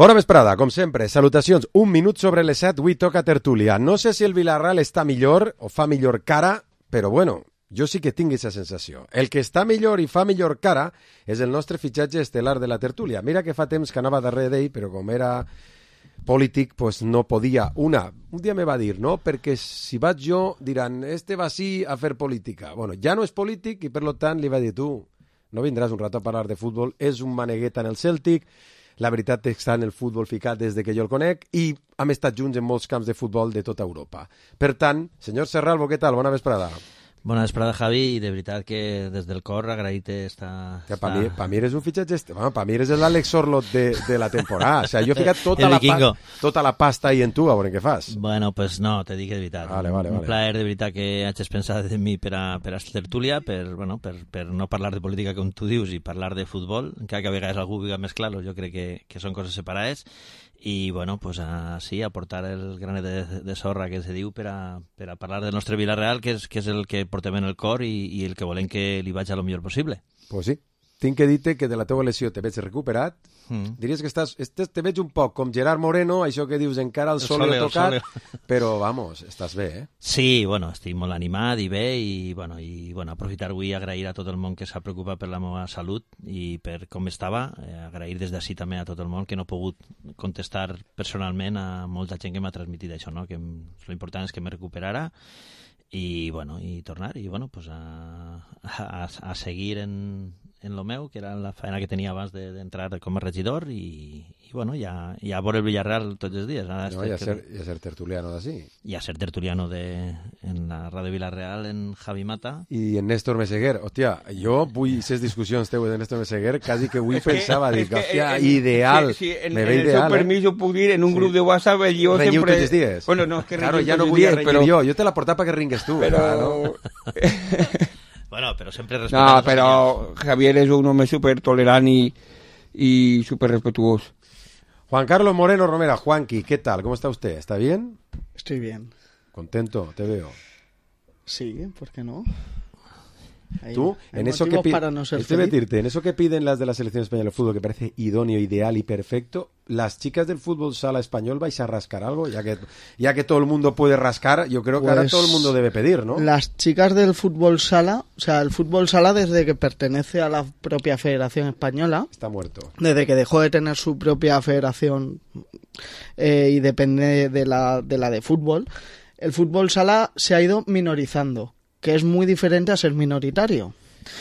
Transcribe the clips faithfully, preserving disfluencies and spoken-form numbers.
Bona vesprada, com sempre, salutacions. Un minut sobre les set, avui toca tertúlia. No sé si el Villarreal està millor o fa millor cara, però bueno, jo sí que tinc aquesta sensació. El que està millor i fa millor cara és el nostre fitxatge estel·lar de la tertúlia. Mira que fa temps que anava darrere d'ell, però com era polític, pues no podia. Una, un dia me va dir, no? Perquè si vaig jo, diran, este va sí a fer política. Bueno, ja no és polític i per lo tant li va dir, tu, no vindràs un rato a parlar de futbol, és un manegueta en el Celtic. La veritat és que està en el futbol ficat des de que jo el conec i hem estat junts en molts camps de futbol de tota Europa. Per tant, senyor Serralvo, què tal? Bona vesprada. Bona vesprada, Javi, i de veritat que des del cor agraït-te esta... Que per mi, pa mi eres un fitxatge... Bueno, per mi eres l'Àlex Sorloth de, de la temporada. O sea, jo he ficat tota la, pa, tota la pasta ahí en tu, a veure què fas. Bueno, pues no, te dic de veritat. Vale, vale, un vale. plaer de veritat que hagis pensat en mi per a, per a tertúlia, per, bueno, per, per no parlar de política com tu dius i parlar de futbol, encara que a vegades algú vulgui mesclar-los, jo crec que, que són coses separades. I, bueno, pues así, aportar el granet de, de sorra que se diu per a, per a parlar del nostre Villarreal, que és, que és el que portem en el cor i, i el que volem que li vagi a lo millor possible. Pues sí. Tinc que dir-te que de la teva lesió te veig recuperat. Mm. Diries que estàs, estàs, te veig un poc com Gerard Moreno, això que dius encara el sol l'ha tocat, però vamos, estàs bé, eh? Sí, bueno, estic molt animat i bé i, bueno, i bueno, aprofitar avui i agrair a tot el món que s'ha preocupat per la meva salut i per com estava, eh, agrair des d'ací també a tot el món que no he pogut contestar personalment a molta gent que m'ha transmitit això, no? Que l'important és que me recuperara i, bueno, i tornar i, bueno, pues a, a, a seguir en en lo meu, que era la feina que tenia abans d'entrar com a regidor i, i bueno, ja, ja a veure el Villarreal tots els dies. Ara no, i, a ser, i a ser tertuliano d'ací. I a ser tertuliano de, en la Ràdio Villarreal, en Javi Mata. I en Néstor Meseguer. Hòstia, jo vull aquestes discussions teues de Néstor Meseguer, quasi que avui pensava, dic, hòstia, ideal. Sí, sí, en, me en ve el ideal, seu permís ho puc dir, en un sí. grup de WhatsApp jo Renyiu sempre... tots els dies. Bueno, no, és que claro, ja no tots vull dies, renyir però... jo, jo te la portava perquè ringues tu. Però... No? Bueno, però sempre respectant... No, però Javier és un home súper tolerant i, y súper respetuoso. Juan Carlos Moreno Romera, Juanqui, ¿qué tal? ¿Cómo está usted? ¿Está bien? Estoy bien. ¿Contento? Te veo. Sí, ¿por qué no? Hay, Tú, hay en eso que pi- para no ser estoy feliz. decirte, en eso que piden las de la selección española de fútbol, que parece idóneo, ideal y perfecto, las chicas del fútbol sala español vais a rascar algo, ya que ya que todo el mundo puede rascar, yo creo que pues ahora todo el mundo debe pedir, ¿no? Las chicas del fútbol sala, o sea, el fútbol sala desde que pertenece a la propia Federación Española, está muerto. Desde que dejó de tener su propia federación eh, y depende de la de la de fútbol, el fútbol sala se ha ido minorizando, que es muy diferente a ser minoritario.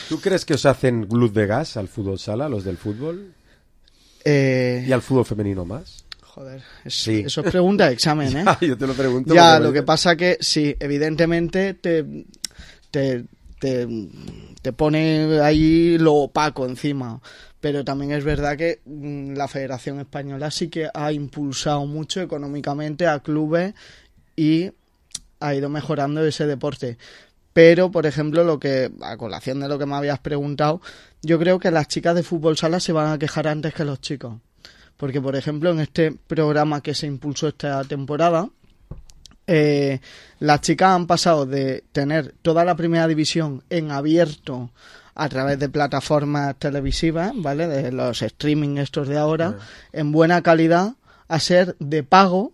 ¿Tú crees que os hacen luz de gas al fútbol sala, los del fútbol? Eh... ¿Y al fútbol femenino más? Joder, es, sí. Eso es pregunta de examen, ¿eh? Ya, yo te lo pregunto. Ya, lo que pasa que sí, evidentemente te, te, te, te pone ahí lo opaco encima. Pero también es verdad que mmm, la Federación Española sí que ha impulsado mucho económicamente a clubes y ha ido mejorando ese deporte. Pero, por ejemplo, lo que a colación de lo que me habías preguntado, yo creo que las chicas de fútbol sala se van a quejar antes que los chicos. Porque, por ejemplo, en este programa que se impulsó esta temporada, eh, las chicas han pasado de tener toda la primera división en abierto a través de plataformas televisivas, ¿vale? De los streaming estos de ahora, yeah. en buena calidad, a ser de pago.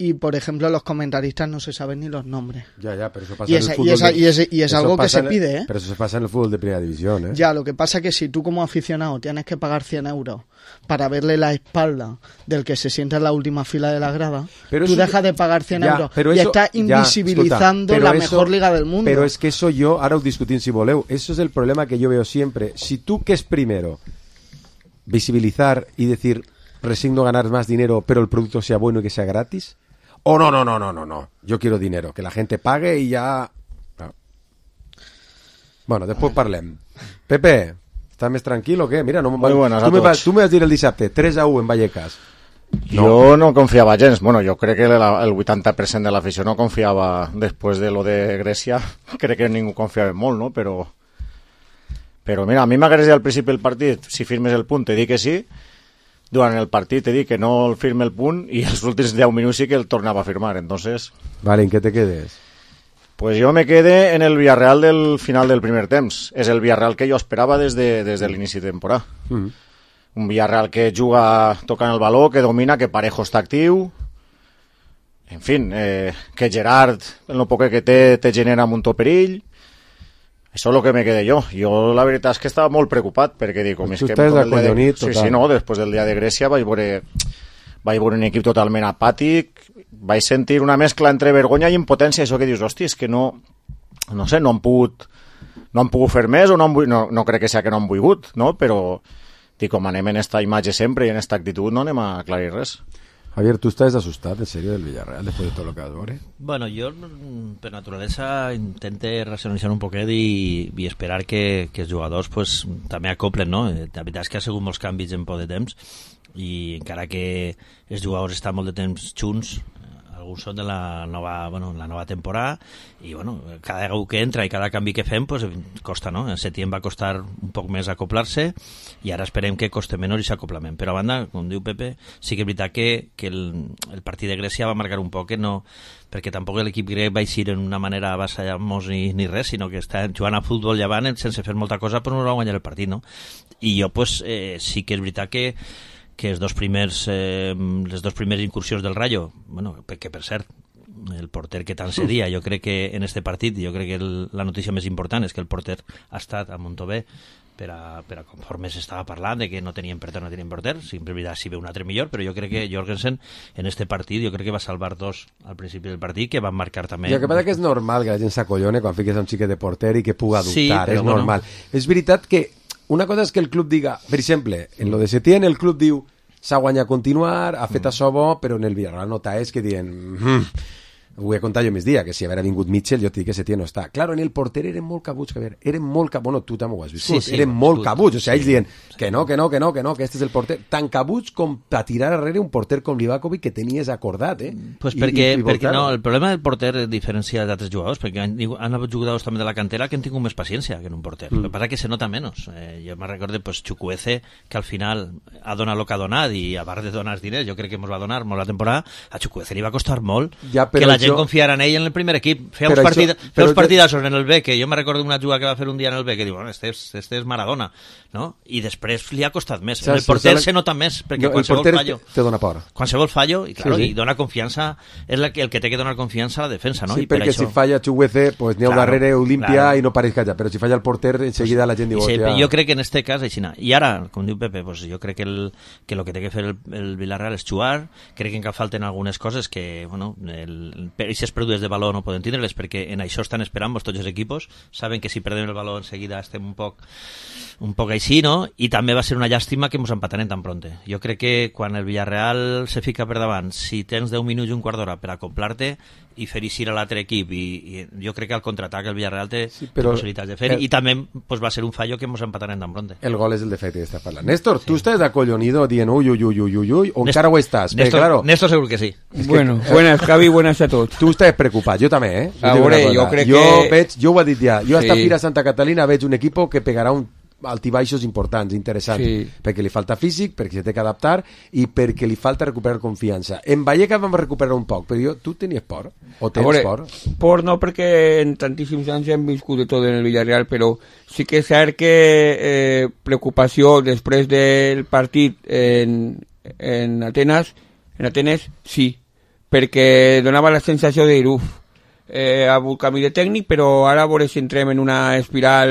Y, por ejemplo, los comentaristas no se saben ni los nombres. Ya, ya, pero eso pasa y en esa, el fútbol. Y, esa, de... y, ese, y es algo que se en... pide, ¿eh? Pero eso se pasa en el fútbol de primera división, ¿eh? Ya, lo que pasa es que si tú como aficionado tienes que pagar cien euros para verle la espalda del que se sienta en la última fila de la grada, pero tú dejas de pagar cien ya, euros pero y eso, estás invisibilizando ya, la eso, mejor liga del mundo. Pero es que eso yo, ahora os discutí si voleu, eso es el problema que yo veo siempre. Si tú, ¿qué es primero? Visibilizar y decir, resigno ganar más dinero, pero el producto sea bueno y que sea gratis. Oh, no, no, no, no, no, no. Yo quiero dinero, que la gente pague y ya... No. Bueno, después parlem. Pepe, ¿estás més tranquil o què? Mira, no Muy buenas tu, a me vas, tots. tu me vas dir el dissabte, tres a u en Vallecas. No. Jo no confiava gens. Bueno, jo crec que la, el vuitanta per cent de l'afició no confiava després de lo de Grècia. Crec que ningú confiava molt, no? Però, però mira, a mi m'agradaria al principi del partit, si firmes el punt, te dic que sí. Durant el partit te dic que no el firme el punt i els últims deu minuts sí que el tornava a firmar. Entonces... Vale, ¿en qué te quedes? Pues yo me quedé en el Villarreal del final del primer temps. És el Villarreal que jo esperava des de, des de l'inici de temporada. Mm. un Villarreal que juga tocant el baló, que domina, que Parejo està actiu, en fi, eh, que Gerard, en lo poc que té, te genera un to perill. Això és el que me quedé jo. Jo la veritat és que estava molt preocupat, perquè dic, com és que... Estàs acollonit, de... total. Sí, sí, no, després del dia de Grècia vaig veure, vaig veure un equip totalment apàtic, vaig sentir una mescla entre vergonya i impotència, això que dius, hòstia, és que no, no sé, no han pogut, no han pogut fer més, o no, han, no, no crec que sigui que no han volgut, no? Però, dic, com anem en esta imatge sempre i en esta actitud, no anem a aclarir res. Javier, ¿tú estás asustado en serio del Villarreal después de todo lo que has visto? Bueno, jo per naturalesa intente racionalitzar un poquet i, i esperar que, que els jugadors pues, també acoplen, no? La veritat és que ha sigut molts canvis en poc de temps i encara que els jugadors estan molt de temps junts, alguns són de la nova, bueno, la nova temporada i bueno, cada vegada que entra i cada canvi que fem pues, costa, no? En setembre va costar un poc més acoplar-se i ara esperem que coste menor i s'acoplament. Però a banda, com diu Pepe, sí que és veritat que, que el, el partit de Grècia va marcar un poc, que no, perquè tampoc l'equip grec va eixir en una manera avassallar-nos ni, ni res, sinó que està jugant a futbol llevant sense fer molta cosa però no va guanyar el partit, no? I jo pues, eh, sí que és veritat que que els dos primers, eh, les dos primeres incursions del Rayo, bueno, que per cert, el porter que tant cedia, jo crec que en este partit, jo crec que el, la notícia més important és que el porter ha estat a Montové per a, per a conforme s'estava parlant de que no tenien porter, no tenien porter, sempre veritat si ve un altre millor, però jo crec que Jorgensen en este partit, jo crec que va salvar dos al principi del partit, que van marcar també... I el que passa que és normal que la gent s'acollone quan fiques a un xiquet de porter i que puga dubtar, sí, és normal. Bueno. És veritat que una cosa és que el club diga, per exemple, en lo de Setién el club diu s'ha guanyat a continuar, ha fet mm. això bo, però en el Villarreal nota és que diuen mm, ho vull contar jo més dia, que si haguera vingut Mitchell jo et dic que Setién no està. Claro, en el porter eren molt cabuts, Javier, eren molt cabuts, bueno, tu també ho has vist, sí, sí, eren molt cabuts, o sigui, ells diuen que no, que no, que no, que no, que este és el porter, tan cabuts com per tirar darrere un porter com Livakovic que tenies acordat, eh? Pues perquè, I, i perquè no, el problema del porter es diferencia d'altres jugadors, perquè han, han hagut jugadors també de la cantera que han tingut més paciència que en un porter, mm. el que passa que se nota menys. Eh, jo me recordo, pues, Chukwueze, que al final ha donat el que ha donat i a part de donar els diners, jo crec que ens va donar molt la temporada, a Chukwueze li va costar molt ja, que la gent jo... confiara en ell en el primer equip. Feia uns, partid, això, feia uns partidassos en el B, que jo me recordo una jugada que va fer un dia en el B, que diu, bueno, este és, este és Maradona, no? I després li ha costat més. En el porter se nota més, perquè no, qualsevol fallo... te dona por. Qualsevol fallo, i, claro, sí, sí. i dona confiança, és la, el que té que donar confiança a la defensa, no? Sí, I per perquè això... si falla Chukwueze, pues n'hi ha claro, darrere, ho limpia claro. I no pareix callar, però si falla el porter, enseguida la gent diu... Sí, jo crec que en este cas, així, i ara, com diu Pepe, pues jo crec que el que lo que té que fer el, el Villarreal és jugar, crec que encara falten algunes coses que, bueno, aquestes pèrdues de valor no poden tindre-les, perquè en això estan esperant tots els equipos, saben que si perdem el valor enseguida estem un poc un poc així, no? I també va ser una llàstima que ens empatarem tan pronte. Jo crec que quan el Villarreal se fica per davant, si tens deu minuts i un quart d'hora per acoplar-te i fer eixir a l'altre equip, i, i jo crec que al contraatac el Villarreal té, sí, però, té possibilitats de fer, el, i també pues, va ser un fallo que ens empatarem tan pronte. El gol és el defecte que estàs parlant. Néstor, sí. Tu estàs acollonido dient uy, uy, uy, uy, uy, uy, o encara ho estàs? Néstor, Bé, claro. Néstor segur que sí. Bueno, que, buenas, Javi, buenas a tots. Tu estàs preocupat, jo també, eh? Jo, veure, jo crec jo que... Veig, jo ho he dit ja, jo hasta sí. Fira Santa Catalina veig un equip que pegarà un altibaixos importants, interessants, sí. Perquè li falta físic, perquè se té que adaptar i perquè li falta recuperar confiança. En Vallecas vam recuperar un poc, però jo, tu tenies por? O tens veure, por? Por no, perquè en tantíssims anys hem viscut de tot en el Villarreal, però sí que és cert que eh, preocupació després del partit en, en Atenes, en Atenes, sí, perquè donava la sensació de dir, uf, eh, ha hagut canvi de tècnic, però ara a veure si entrem en una espiral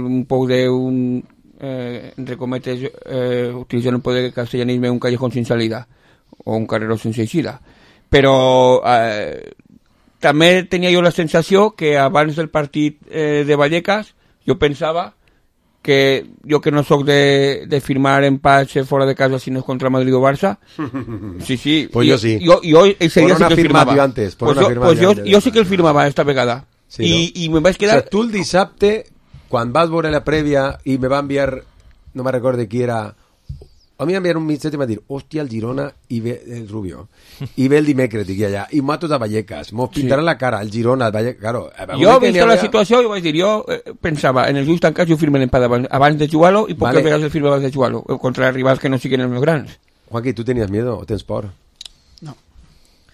un poc d'un, eh, entre cometes, eh, utilitzant un poder de castellanisme, un callejón sin salida, o un carreró sense eixida. Però eh, també tenia jo la sensació que abans del partit eh, de Vallecas jo pensava que jo que no sóc de, de firmar empats fora de casa si no és contra Madrid o Barça, sí, sí, pues jo, jo sí, jo, jo ese dia sí que el firmava antes, pues jo, pues jo, jo sí que el firmava esta vegada, sí, i, no? I me vaig quedar... O sea, tu el dissabte quan vas veure la prèvia i me va enviar, no me recordo qui era, a mi m'enviar un missatge i m'ha dit, hòstia, el Girona i ve el Rubio, i ve el dimecres, dic allà, i mato de Vallecas, mos pintaran sí. La cara, el Girona, el Vallecas, claro. Jo, vist la situació, i vaig dir, jo eh, pensava, en els ulls tancats jo firme l'empat abans, abans de jugar-lo, i poques vale. Vegades el firme abans de jugar-lo, contra rivals que no siguin els més grans. Juanqui, tu tenies miedo o tens por? No.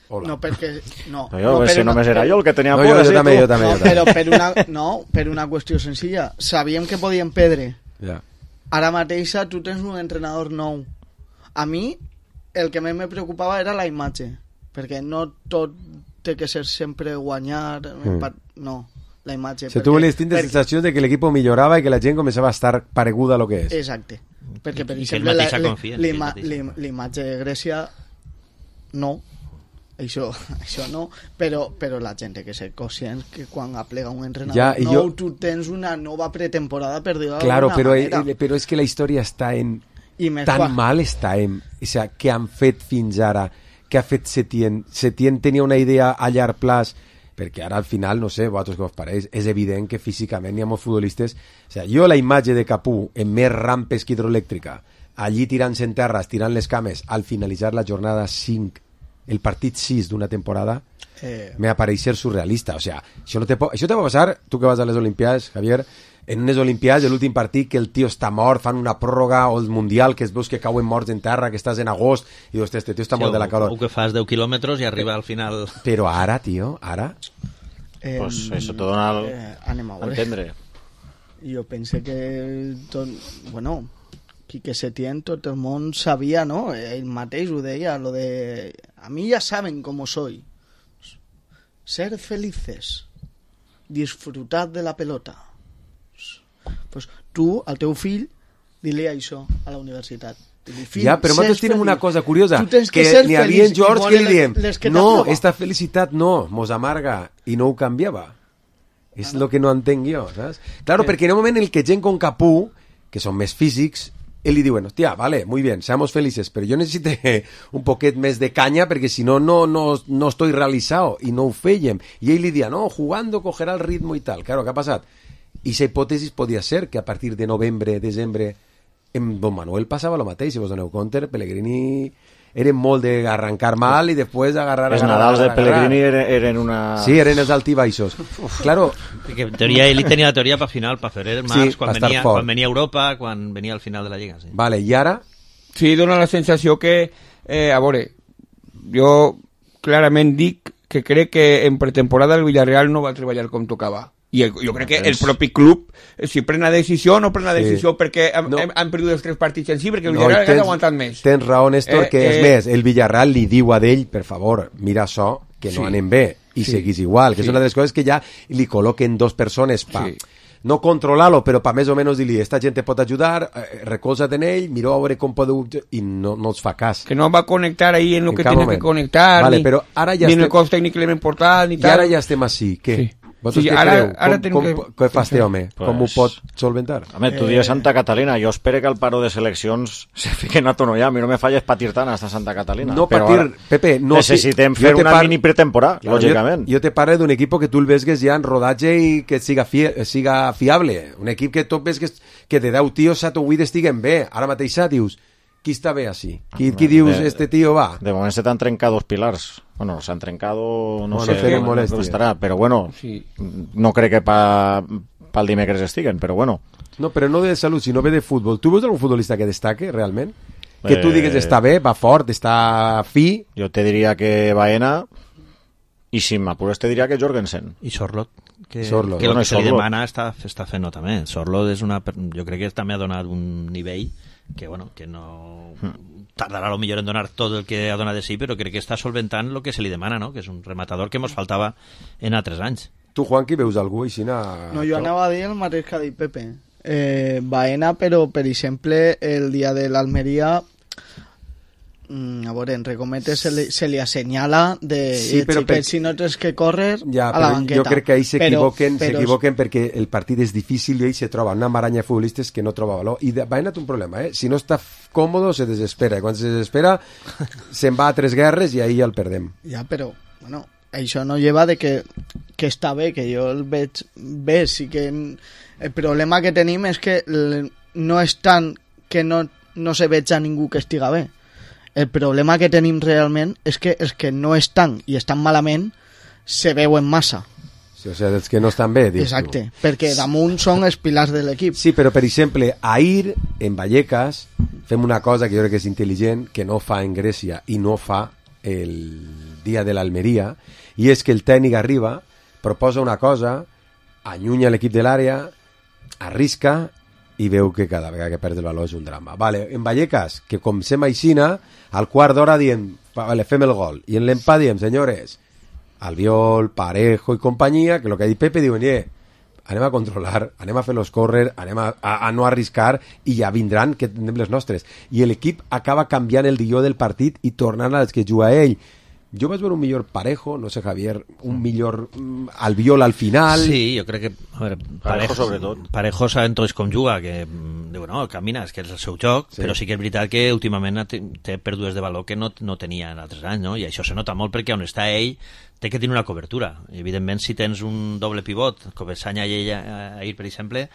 Hola. No, perquè... No, no, jo, no si una... només era jo el que tenia no, por. Jo, jo, també, jo també, no, jo també. Però per una, no, per una qüestió senzilla. Sabíem que podíem perdre. Ja. ara mateixa tu tens un entrenador nou. A mi el que més me preocupava era la imatge, perquè no tot té que ser sempre guanyar, mm. no, la imatge. O sigui, tu volies tindre perquè... sensacions de que l'equip millorava i que la gent començava a estar pareguda a lo que és. Exacte, perquè per exemple la, la, l'imatge de Grècia no, això, això no, però, però la gent té que ser conscient que quan aplega un entrenador ja, nou jo... tu tens una nova pretemporada per dir-ho claro, d'alguna però, manera. Claro, però és que la història està en... tan quan... mal està en... O sigui, què han fet fins ara? Què ha fet Setién? Setién tenia una idea a llarg plaç, perquè ara al final, no sé, vosaltres què us pareix, és evident que físicament hi ha molts futbolistes... O sigui, jo la imatge de Capú en més rampes que hidroelèctrica, allí tirant-se en terra, tirant les cames, al finalitzar la jornada cinc, el partit sis d'una temporada, eh... me apareix ser surrealista. O sigui, això, no te po... això te va passar, tu que vas a les Olimpiades, Javier... en unes Olimpiades, l'últim partit que el tio està mort, fan una pròrroga, o el Mundial, que es veus que cauen morts en terra, que estàs en agost, i dius, este tio està sí, mort de la calor. O que fas deu quilòmetres i arriba al final... Però ara, tio, ara... Eh, pues eso te dona al... eh, anem a entendre. Jo pense que... Tot, bueno, Quique Setién, tot el món sabia, no? Ell mateix ho deia, lo de... A mi ja saben com soy. Ser felices. Disfrutar de la pelota. Pues tu, al teu fill, di-li això a la universitat. Fill, ja, però nosaltres tenim una cosa curiosa, que, que n'hi havia en George que li diem, no, t'aprova. esta felicitat no, mos amarga, i no ho canviava. És el ah, no? que no entenc jo, saps? Claro, eh. perquè en un moment en el que gent con Capú, que són més físics, ell li diu, bueno, hostia, vale, muy bien, seamos felices, pero yo necesito un poquet més de caña perquè si no, no, no, no estoy realizado, i no ho fèiem. I ell li dia, no, jugando cogerá el ritmo i tal. Claro, què ha passat? I la hipòtesi podia ser que a partir de novembre, desembre, en Don Manuel passava el mateix, si vos doneu compte, Pellegrini eren molt d'arrancar mal i després agarrar... Els Nadals de Pellegrini eren una... Sí, eren els altibaixos. Claro. Perquè en teoria, ell tenia la teoria per final, per febrer, març, sí, quan, venia, quan venia a Europa, quan venia al final de la Lliga. Sí. Vale, i ara? Sí, dona la sensació que, eh, a veure, jo clarament dic que crec que en pretemporada el Villarreal no va treballar com tocava. I el, jo crec que el propi club, si pren la decisió, no pren la decisió sí. perquè han, no. han perdut els tres partits en si, perquè el Villarreal no, ha aguantat més. Tens raó, Néstor, eh, que és eh, més, el Villarreal li diu a d'ell, per favor, mira això, que no sí. anem bé, i sí. seguís igual, que sí. és una de les coses que ja li col·loquen dos persones pa... Sí. no controlar-lo, però per més o menys dir-li, esta gent te pot ajudar, eh, recolza't en ell, mira a veure com podeu... i no, no els fa cas. Que no va connectar ahí en lo en que tiene moment. que conectar, vale, ni, però ara ja ni estem... en el cos tècnic que l'hem importat, ni I tal. ara ja estem així, què? Sí. Sí, què ara, creu? ara com, com, que... què fa este home? Pues... Com ho pot solventar? Home, tu dius Santa Catalina, jo espero que al paro de seleccions se fiquen a tono ja, a mi no me falles patir tant hasta Santa Catalina. No patir, ara, Pepe, no... necessitem fer una par... mini pretemporada, claro, lògicament. Jo, jo te parlo d'un equip que tu el veus ja en rodatge i que siga, fi, siga fiable. Un equip que tu ves que, que de deu tios set o vuit estiguen bé. Ara mateix dius, qui està bé així? Qui, qui dius, de, este tio va? De moment se t'han trencat dos pilars. Bueno, s'han trencat, no bueno, sé com estarà, però bueno, sí. no crec que pa, pel dimecres estiguen, però bueno. No, però no de salut, sinó ve de futbol. Tu veus algun futbolista que destaque, realment? Que tu digues està bé, va fort, està fi? Jo te diria que Baena, i si m'apures te diria que Jorgensen. I Sorlot, que, Sorlot. que el bueno, que se li demana està, està fent-ho també. Sorlot és una... Jo crec que també ha donat un nivell que, bueno, que no... tardarà a lo millor en donar tot el que ha donat de sí, però crec que està solventant el que se li demana, no? Que és un rematador que ens faltava en altres anys. Tu, Juanqui, veus algú així? Na... No, jo anava a dir el mateix que ha dit Pepe. Eh, Baena, però, per exemple, el dia de l'Almeria... a veure, en recometes se li, se li assenyala de sí, però per... si no tens que córrer ja, a la banqueta. Jo crec que ahí s'equivoquen però... s'equivoquen perquè el partit és difícil i ell se troba una maranya de futbolistes que no troba valor. I Baena té un problema, eh? Si no està còmodo se desespera, i quan se desespera se'n va a tres guerres i ahí ja el perdem. Ja, però, bueno, això no lleva de que, que està bé, que jo el veig bé, sí que el problema que tenim és que no és tant que no, no se veig a ningú que estiga bé. El problema que tenim realment és que els que no estan i estan malament se veuen massa. Sí, o sigui, els que no estan bé, dius Exacte, tu. perquè damunt són els pilars de l'equip. Sí, però per exemple, ahir en Vallecas fem una cosa que jo crec que és intel·ligent, que no fa en Grècia i no fa el dia de l'Almeria, i és que el tècnic arriba, proposa una cosa, allunya l'equip de l'àrea, arrisca i veu que cada vegada que perd el valor és un drama. Vale, en Vallecas, que com sem aixina, al quart d'hora diem, vale, fem el gol, i en l'empat diem, senyores, Albiol, Parejo i companyia, que el que ha dit Pepe, diuen, eh, anem a controlar, anem a fer-los córrer, anem a, a, a no arriscar, i ja vindran, que tindrem les nostres. I l'equip acaba canviant el guió del partit i tornant als que juga ell. Jo vaig veure un millor Parejo, no sé, Javier, un millor mm, Albiol al final... Sí, jo crec que... A veure, Parejo, Parejo, sobretot. Parejo sabem tots com juga, que mm, diu, no, camina, és que és el seu joc, sí. Però sí que és veritat que últimament té, té pèrdues de valor que no, no tenia en altres anys, no? I això se nota molt perquè on està ell té que tenir una cobertura. Evidentment, si tens un doble pivot, com Comesaña i ell ahir, per exemple,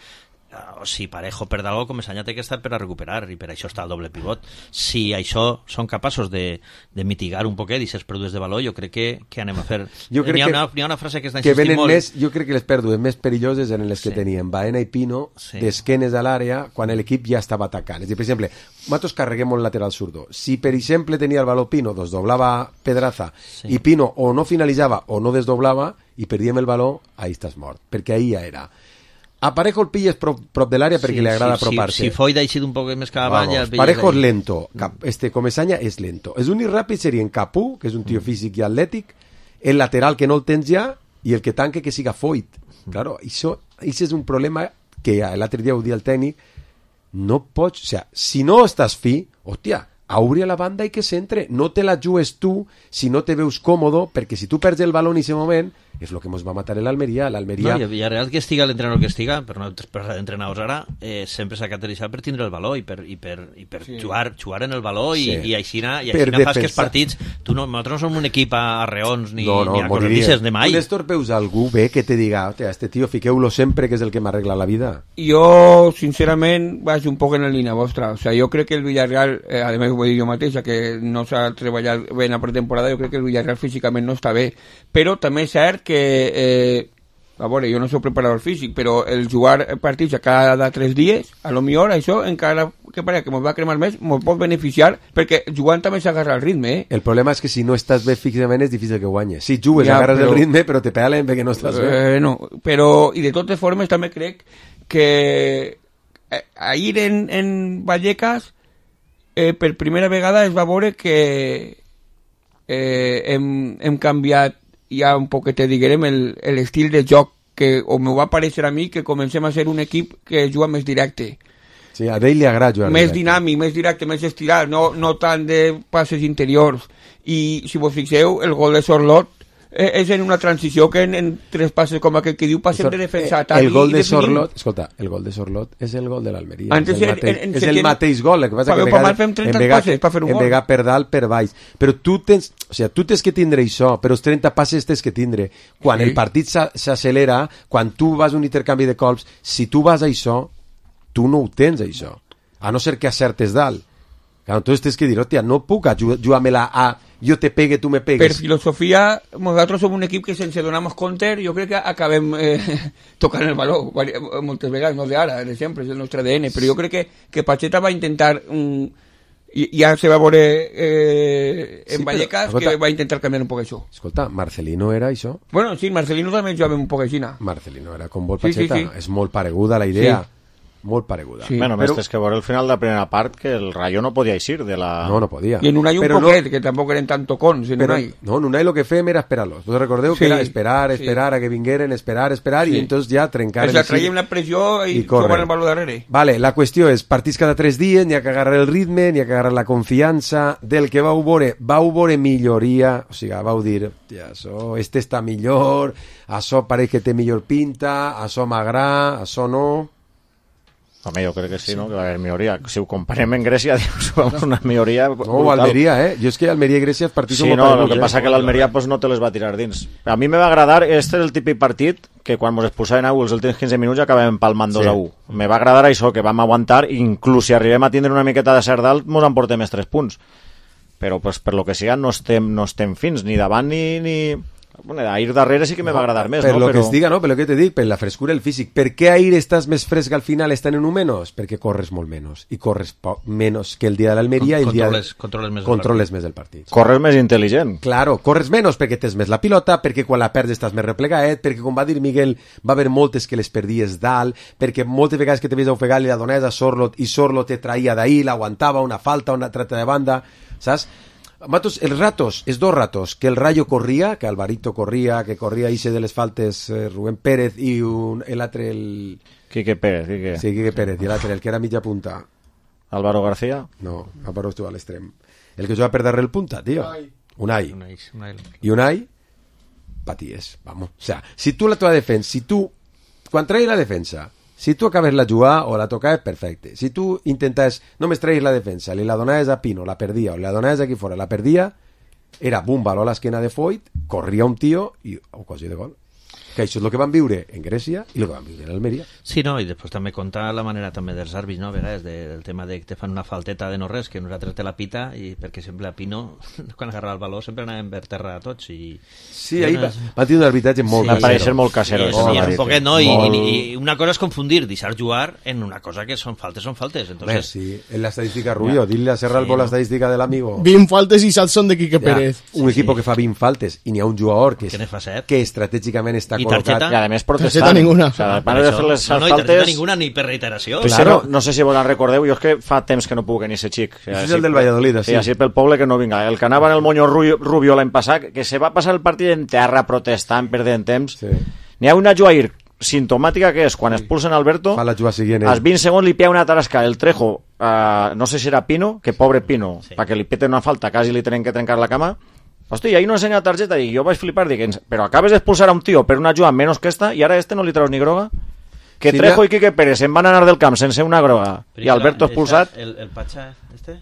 o si Parejo perd algo, Comesaña té que estar per a recuperar, i per això està el doble pivot. Si això són capaços de, de mitigar un poquet i ser pèrdues de valor, jo crec que, que anem a fer... Jo crec n'hi ha, que, una, n'hi ha una frase que està que insistint molt... Més, jo crec que les pèrdues més perilloses eren les que sí. tenien Baena i Pino sí. d'esquenes a l'àrea quan l'equip ja estava atacant. És a dir, per exemple, nosaltres carreguem un lateral zurdo. Si, per exemple, tenia el valor Pino, desdoblava Pedraza, sí. i Pino o no finalitzava o no desdoblava i perdíem el valor, ahí estàs mort. Perquè ahí ja era... A Parejo el pilles prop, prop de l'àrea perquè sí, li agrada sí, apropar-se. Si, si Foyda ha eixit un poc més cap avall... Ja Parejo és lento. Cap, este Comesaña és lento. És l'únic ràpid seria en Capú, que és un tio físic i atlètic, el lateral que no el tens ja i el que tanque que siga Foyt. Claro, això, això és un problema que l'altre dia ho dia el tècnic, no pots... O sea, si no estàs fi, hòstia, obri a la banda i que s'entre. No te la jugues tu si no te veus còmodo, perquè si tu perds el baló en aquest moment, és el que ens va matar l'Almeria. L'Almeria... No, i a Real que estiga l'entrenador que estiga, per no parlar d'entrenadors ara, eh, sempre s'ha caracteritzat per tindre el valor i per, i per, i per sí. jugar, jugar en el valor i, sí. i aixina, i aixina fas que els partits... Tu no, nosaltres no som un equip a reons ni, no, no, ni a corredisses de mai. Tu l'estorpeus a algú bé que te diga, este tio, fiqueu-lo sempre que és el que m'arregla la vida. Jo, sincerament, vaig un poc en la línia vostra. O sea, jo crec que el Villarreal, eh, a més ho vull dir jo mateix, que no s'ha treballat bé en la pretemporada, jo crec que el Villarreal físicament no està bé. Però també és cert que eh, a veure, jo no soc preparador físic, però el jugar partits a cada tres dies, a lo millor això encara que pareix que mos va cremar més, mos pot beneficiar, perquè jugant també s'agarra el ritme, eh? El problema és que si no estàs bé físicament és difícil que guanyes. Si jugues ja, agarres però, el ritme, però te pegalen perquè no estàs bé. Eh, no, però, i de totes formes també crec que eh, ahir en, en Vallecas eh, per primera vegada es va veure que eh, hem, hem canviat ja un poquet, diguem, l'estil de joc que o me va aparèixer a mi que comencem a ser un equip que juga més directe. Sí, a ell li agrada jugar més directe. dinàmic, més directe, més estirat, no, no tant de passes interiors. I si vos fixeu, el gol de Sorlot eh, és en una transició que en, en tres passes com aquest que diu passem de defensa a el gol de Sorlot, escolta, el gol de Sorlot és el gol de l'Almeria. Antes és el mateix, en, en, és el mateix gol, el que passa que en fem trenta passes per fer un gol. En vegà per dalt, per baix. Però tu tens, o sigui, tu tens que tindre això, però els trenta passes tens que tindre. Quan sí. el partit s'accelera, quan tu vas a un intercanvi de colps, si tu vas a això, tu no ho tens, això. A no ser que acertes dalt. Clar, entonces tens que dir, hòstia, no puc jugar-me-la a jo te pegue, tu me pegues. Per filosofia, nosaltres som un equip que sense donar-nos compte, jo crec que acabem eh, tocant el valor, moltes vegades, no d'ara, de sempre, és el nostre A D N, però jo crec que, que Pacheta va intentar, um, i, ja se va veure eh, en sí, Vallecas, però, escolta, que va intentar canviar un poc això. Escolta, Marcelino era això? Bueno, sí, Marcelino també jugava un poc així. Marcelino era com vol Pacheta, sí, sí, sí. És molt pareguda la idea. Sí. Molt pareguda. Sí. Bueno, però... és que veure el final de la primera part que el Rayo no podia eixir de la... No, no podia. I en Unai un però poquet, no... que tampoc eren tan tocons en però, Unai. No, en Unai lo que fèiem era esperar-los. Vos recordeu sí. que era esperar, esperar sí. a que vingueren, esperar, esperar, sí. i entonces ja trencar... Es la traiem la pressió i, i trobar el valor darrere. Vale, la qüestió és, partits cada tres dies, n'hi ha que agarrar el ritme, n'hi ha que agarrar la confiança, del que vau veure, vau veure milloria, o sigui, vau dir, ja, això, este està millor, això pareix que té millor pinta, això m'agrada, això no... Home, jo crec que sí, sí, no? Que va haver milloria. Si ho comparem en Grècia, dius, una milloria brutal. No, Almeria, eh? Jo és que Almeria i Grècia els partits sí, són no, molt el que passa que l'Almeria pues, no te les va tirar dins. A mi me va agradar, este és el típic partit que quan ens expulsaven a els últims quinze minuts acabàvem palmant dos a u. Me va agradar això, que vam aguantar, inclús si arribem a tindre una miqueta de cert dalt, mos emportem més tres punts. Però pues, per lo que siga no estem, no estem fins, ni davant ni... ni... Bueno, a ir darrere sí que me va agradar més, per no? lo Però... que es diga, no? Per lo que te dic, per la frescura del físic. Per què a ir estàs més fresc al final estan en un menys? Perquè corres molt menys. I corres po- menys que el dia de l'Almeria i el dia de... Controles, controles més el controles més el partit. Corres més intel·ligent. Claro, corres menys perquè tens més la pilota, perquè quan la perds estàs més replegaet, perquè com va dir Miguel, va haver moltes que les perdies dalt, perquè moltes vegades que te ves ofegar i la dones a Sorlot i Sorlot te traïa d'ahir, l'aguantava, una falta, una trata de banda, saps? Matos, els ratos, els dos ratos, que el Rayo corria, que Alvarito corria, que corria Ise de les faltes eh, Rubén Pérez i un, el altre, el... Quique Pérez, Quique. Sí, Quique Pérez, i l'altre, el que era mitja punta. Álvaro García. No, Álvaro estuvo a l'extrem. El que juga per darrere el punta, tío. Unai. Unai, Unai. I Unai, paties, vamos. O sea, si tu la tua defensa, si tu, quan traïs la defensa, si tu acabes la jugar o la tocaves, perfecte. Si tu intentes, només traïs la defensa, li la donaves a Pino, la perdia, o li la donaves aquí fora, la perdia, era bum, baló a l'esquena de Foyt, corria un tio i ocasió de gol. Que això és el que van viure en Grècia i el que van viure en Almeria. Sí, no, i després també compta la manera també dels àrbits, no, a vegades, de, del tema de que te fan una falteta de no res, que nosaltres te la pita, i perquè sempre a Pino, quan agarrava el baló, sempre anàvem per terra tots, i... Sí, ahí va, va tenir un arbitratge molt Sí, Va casero. parecer molt casero. Sí, això, sí, m'ha un dit. poquet, no? I, Molt. i, I una cosa és confundir, deixar jugar en una cosa que són faltes, són faltes. Bé, Entonces, sí, en la estadística Rubio, dile a Serra Sí, Albo la no. estadística del amigo. vint faltes i set són de Quique Ja, Pérez. un equip que fa vint faltes i n'hi ha un jugador que, Que ne fa set. que estratègicament està I col·locat. targeta? I a més protestant. Targeta ninguna. O sea, per van a això- fer les no, no, i targeta faltes... ninguna ni per reiteració. Pues Claro. no, no sé si vos en recordeu, jo és que fa temps que no puc ni ser xic. O sigui, Això és així- el del Valladolid, Sí, sí. així pel poble que no vinga. El que anava en el Moño Rubio, Rubio l'any passat, que se va passar el partit en terra protestant, perdent temps. Sí. N'hi ha una jugair sintomàtica que és quan expulsen Alberto, Fa la jugada siguient. als ell. vint segons li pia una tarasca el Trejo, uh, no sé si era Pino, que pobre Pino, Sí. perquè li peten una falta, quasi li tenen que trencar la cama. Hosti, i ahí no ensenya targeta, i jo vaig flipar, dic, "Ens- però acabes d'expulsar a un tio per una jugada menys que esta, i ara a este no li treus ni groga? Que Sí, Trejo ja- i Quique Pérez se'n van anar del camp sense una groga, Però i Alberto esa- expulsat. El, el Pacha, este?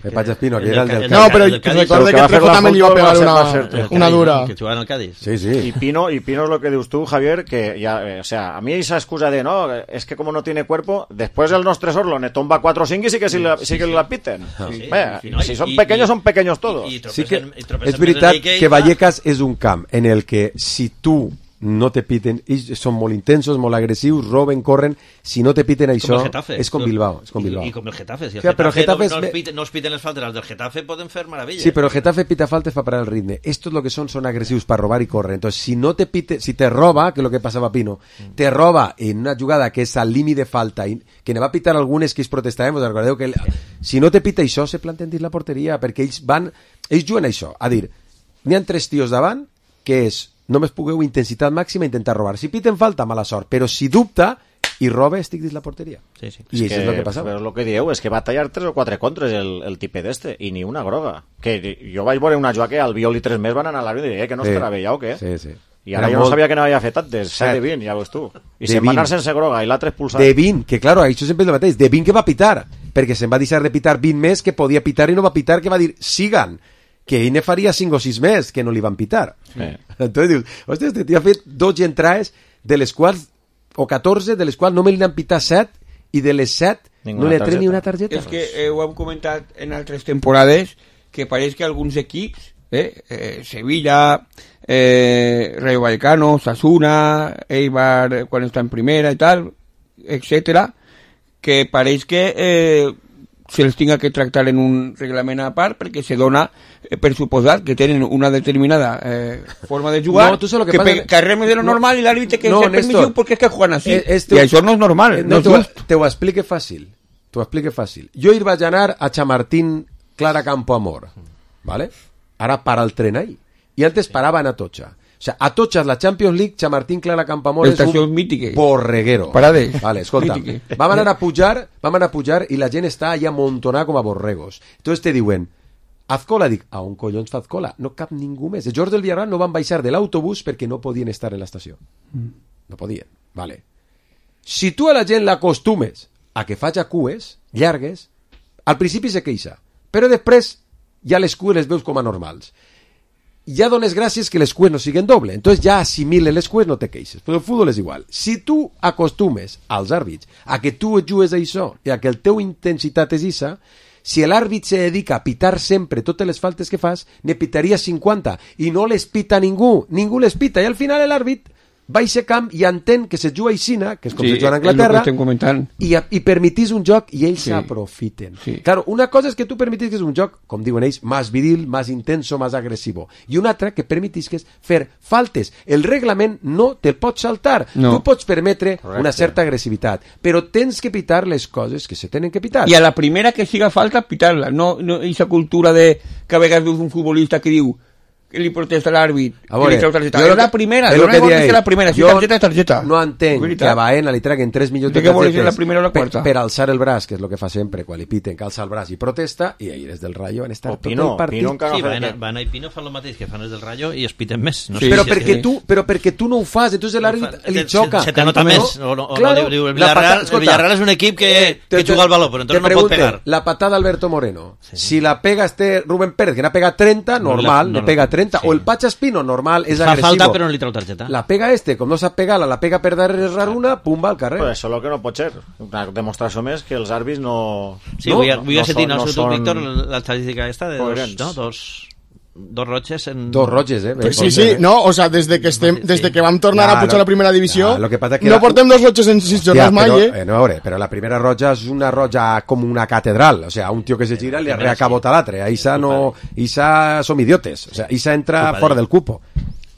El Pacha Espino, que era el del No, Cádiz. pero el del Cádiz. recuerda que que va a hacer Trejo la también le iba a fútbol, va a pegar ser- va a una, ser- El Cádiz, una dura. Que jugava en el Cádiz. Sí, I sí. Pino, y Pino es lo que dius tú, Javier, que ya, eh, o sea, a mí esa excusa de no, es que como no tiene cuerpo, después el nostre Sorlo ne tomba cuatro o cinco y sí que, sí, la, sí que la piten. Sí, Bé, sí, no, si i- son i- pequeños, i- son pequeños todos. i- i Sí que tropecen- i tropecen és veritat més en que i va- Vallecas és un camp en el que si tu no te piten, ells són molt intensos, molt agressius, roben, corren, si no te piten Com això, el Getafe. és com Bilbao, és com Bilbao. I, i com el Getafe. Si el Ja, però Getafe, Getafe no, és no, me- es piten, no es piten les faltes, els del Getafe poden fer meravelles. Sí, però el Getafe pita faltes fa parar el ritme. Estos lo que son son agresivos para robar y correr. Entonces, si no te pite, si te roba, que es lo que pasaba a Pino, te roba en una jugada que és al límit de falta, i que ne va pitar algunes que ells protestarem, recordeu que el, si no te pita això, se planten dins la porteria, perquè ells van, ells juguen a això, a dir, n'hi ha tres tios davant, que és, només pugueu intensitat màxima intentar robar. Si piten falta, mala sort, però si dubta i roba, estic dins la porteria. Sí, sí. I això és el que passava. Però és el que dieu, és que va tallar tres o quatre contres el, el tipet d'este, i ni una groga. Que jo vaig veure una jugada que al Viol i tres més van anar a l'àrbit i diré, eh, que no Sí. estarà bé ja o què? Sí, sí. I ara Era jo no molt- sabia que n'havia fet tantes, set Set. de vint, ja veus tu. I De se'n va anar vint. sense groga, i l'altre expulsat. De vint, que claro, això sempre és el mateix, de vint que va pitar, perquè se'n va deixar de pitar vint més que podia pitar i no va pitar, que va dir, sigan, que ell ne faria cinc o sis més que no li van pitar. Sí. Entonces dius, hòstia, este tio ha fet dotze entrades, de les quals, o catorze, de les quals només li han pitat set, i de les set Ninguna no li ha tret targeta. ni una targeta. És que eh, ho hem comentat en altres temporades, que pareix que alguns equips, eh, eh, Sevilla, eh, Rayo Vallecano, Sasuna, Eibar, eh, quan està en primera i tal, etcètera, que pareix que eh, se'ls tinga que tractar en un reglament a part perquè se dona eh, per suposat que tenen una determinada eh, forma de jugar No, tu saps lo que que, pasa pe- que- que arreme de lo no. normal i l'àrbitre que No, ser permissiu Néstor. perquè és que juguen així. Eh, este- I això no és normal, Eh, no, te, és ho, just. te ho explique fàcil. Te ho explique fàcil. Jo hi vaig anar a Chamartín Clara Campo Amor, ¿vale? Ara para el tren ahí. I antes parava en Atocha. O sea, Atocha és la Champions League, Chamartín Clara Campo Amor és Estacions un mítiques. borreguero. Parades. Vale, escolta. Mítiques. Vam anar a pujar, vam anar a pujar i la gent està allà amontonada com a borregos. Entonces te diuen, Azcola, dic, a on collons fa Azcola? No cap ningú més. Els jugadors del Villarreal no van baixar de l'autobús perquè no podien estar en l'estació. No podien, vale. Si tu a la gent l'acostumes a que faci cues llargues, al principi se queixa, però després ja les cues les veus com a normals. Ja dones gràcies que les cues no siguen doble, entonces ja assimiles les cues, no te queixes. Però el futbol és igual. Si tu acostumes als àrbits a que tu et jugues a això i a que el teu intensitat és isa, Si l'àrbit se dedica a pitar sempre totes les faltes que fas, ne pitaria cinquanta, i no les pita ningú, ningú les pita, i al final l'àrbit va a ese camp i entén que se juga aixina, que és com sí, se juga a Anglaterra, i, i permetís un joc i ells s'aprofiten. Sí. Sí. Claro, una cosa és que tu permetís que és un joc, com diuen ells, més viril, més intenso, més agressivo. I una altra que permetís que és fer faltes. El reglament no te'l pots saltar. No. Tu pots permetre Correcte. una certa agressivitat, però tens que pitar les coses que se tenen que pitar. I a la primera que siga falta, pitar-la. No, no esa cultura de que a vegades veus un futbolista que diu que li protesta l'àrbit, que li treu targeta. És la primera, és jo lo que no diria que la primera, si jo targeta és targeta. No entenc que a Baena li traguen tres milions de De què vols dir, targetes la primera o la quarta? per, per alçar el braç, que és el que fa sempre quan li piten, que alça el braç i protesta, i ahir des del Rayo van estar O tot Pino, el partit. Pino encara Sí, no fa Baena, que- Baena i Pino fan el mateix que fan els del Rayo i es piten més. No Sí, sé però, si perquè és- tu, però perquè tu no ho fas, entonces l'àrbit Se- li se- xoca. se te nota No? més. O, no, o Claro, no, diu, el, la Villarreal, pata- el escolta, Villarreal és un equip que, te- que te- juga al baló, però te entonces no pot pregunte, pegar. la patada d'Alberto Moreno, si la pega este Rubén Pérez, que n'ha pegat trenta, No, normal, la- le no, pega no. trenta, Sí. o el Pacha Espino, normal, és Fa agressivo. falta, però no li treu targeta. La pega este, com no sap pegar-la, la pega per darrere una, pum, va al carrer. Pues això és el que no pot ser. Una demostració més que els àrbits no... Sí, No, vull, no vull sentir són- no, no no són Víctor, l'estadística esta de dos, coherents. no, dos, dos roches en... Dos roges, eh? Pues sí, sí, no, o sea, desde que estem, desde que vam tornar Ja, a pujar lo- a la primera divisió, ja, lo que passa que no la- portem dos roches en sis jornades mai, però, eh? eh, no, a veure, però la primera roja és una roja com una catedral, o sea, un tio que se gira li La primera arrea cabot a l'altre, a Isa no, Isa som idiotes, o sea, Isa entra Culpa fora d'ell. del cupo,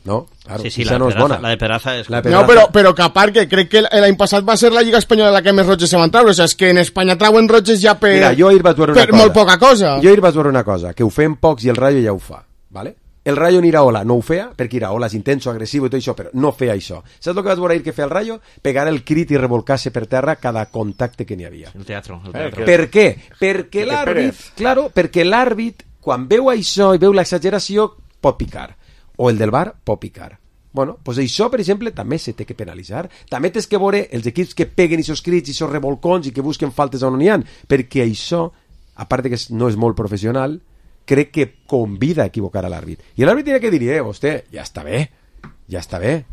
no? Claro, Sí, sí, Isa la, no de és Peraza, bona. la de Peraza és... La de No, però, però que a part que crec que l'any passat va ser la Lliga Espanyola la que més roges se van treure, o sea, és que en Espanya trauen roges ja per, Mira, jo ahir vaig veure una per cosa. molt poca cosa. Jo ahir vaig veure una cosa, que ho fem pocs i el Rayo ja ho fa, ¿vale? El Rayo en Iraola no ho feia, perquè Iraola és intenso, agressiu i tot això, però no feia això. Saps el que vaig veure ahir que feia el Rayo? Pegar el crit i revolcar-se per terra cada contacte que n'hi havia. El teatro. El Eh, teatro. que- Per què? Perquè Perquè l'àrbit, Pérez. claro, perquè l'àrbit, quan veu això i veu l'exageració, pot picar. O el del bar pot picar. Bueno, doncs això, per exemple, també se té que penalitzar. També tens que veure els equips que peguen aquests crits, aquests revolcons i que busquen faltes on n'hi ha, perquè això, a part de que no és molt professional, crec que convida a equivocar a l'àrbit. I l'àrbit tiene que dir, eh, vostè, ja està bé, ja està bé.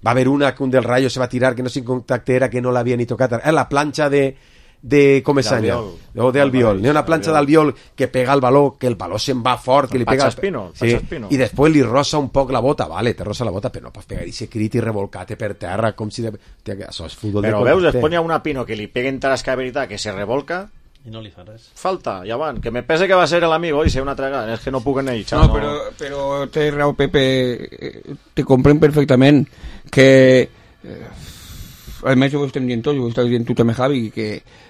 Va haver una que un del Rayo se va tirar, que no sin contacte era, que no l'havia ni tocat. Era la planxa de, de Comesaña, D'Albiol. o de Albiol. N'hi ha una planxa d'Albiol que pega el baló, que el baló se'n va fort, que li Pacha pega... Espino, sí, Pacha Espino. i després li rossa un poc la bota, vale, te rossa la bota, però no pots pegar ese crit i revolcar-te per terra, com si... De... Tia, que això és futbol Però de veus, contacte. després n'hi ha una Pino que li peguen tarasca de veritat, que se revolca, I no li fa res. falta, ja van, que me pese que va ser l'amigo i ser una tragada, és que no puc anar allà. No, però, però té raó, Pepe, eh, te compren perfectament que... Eh, a més, ho estem dient tots, ho estàs dient tu també, Javi, que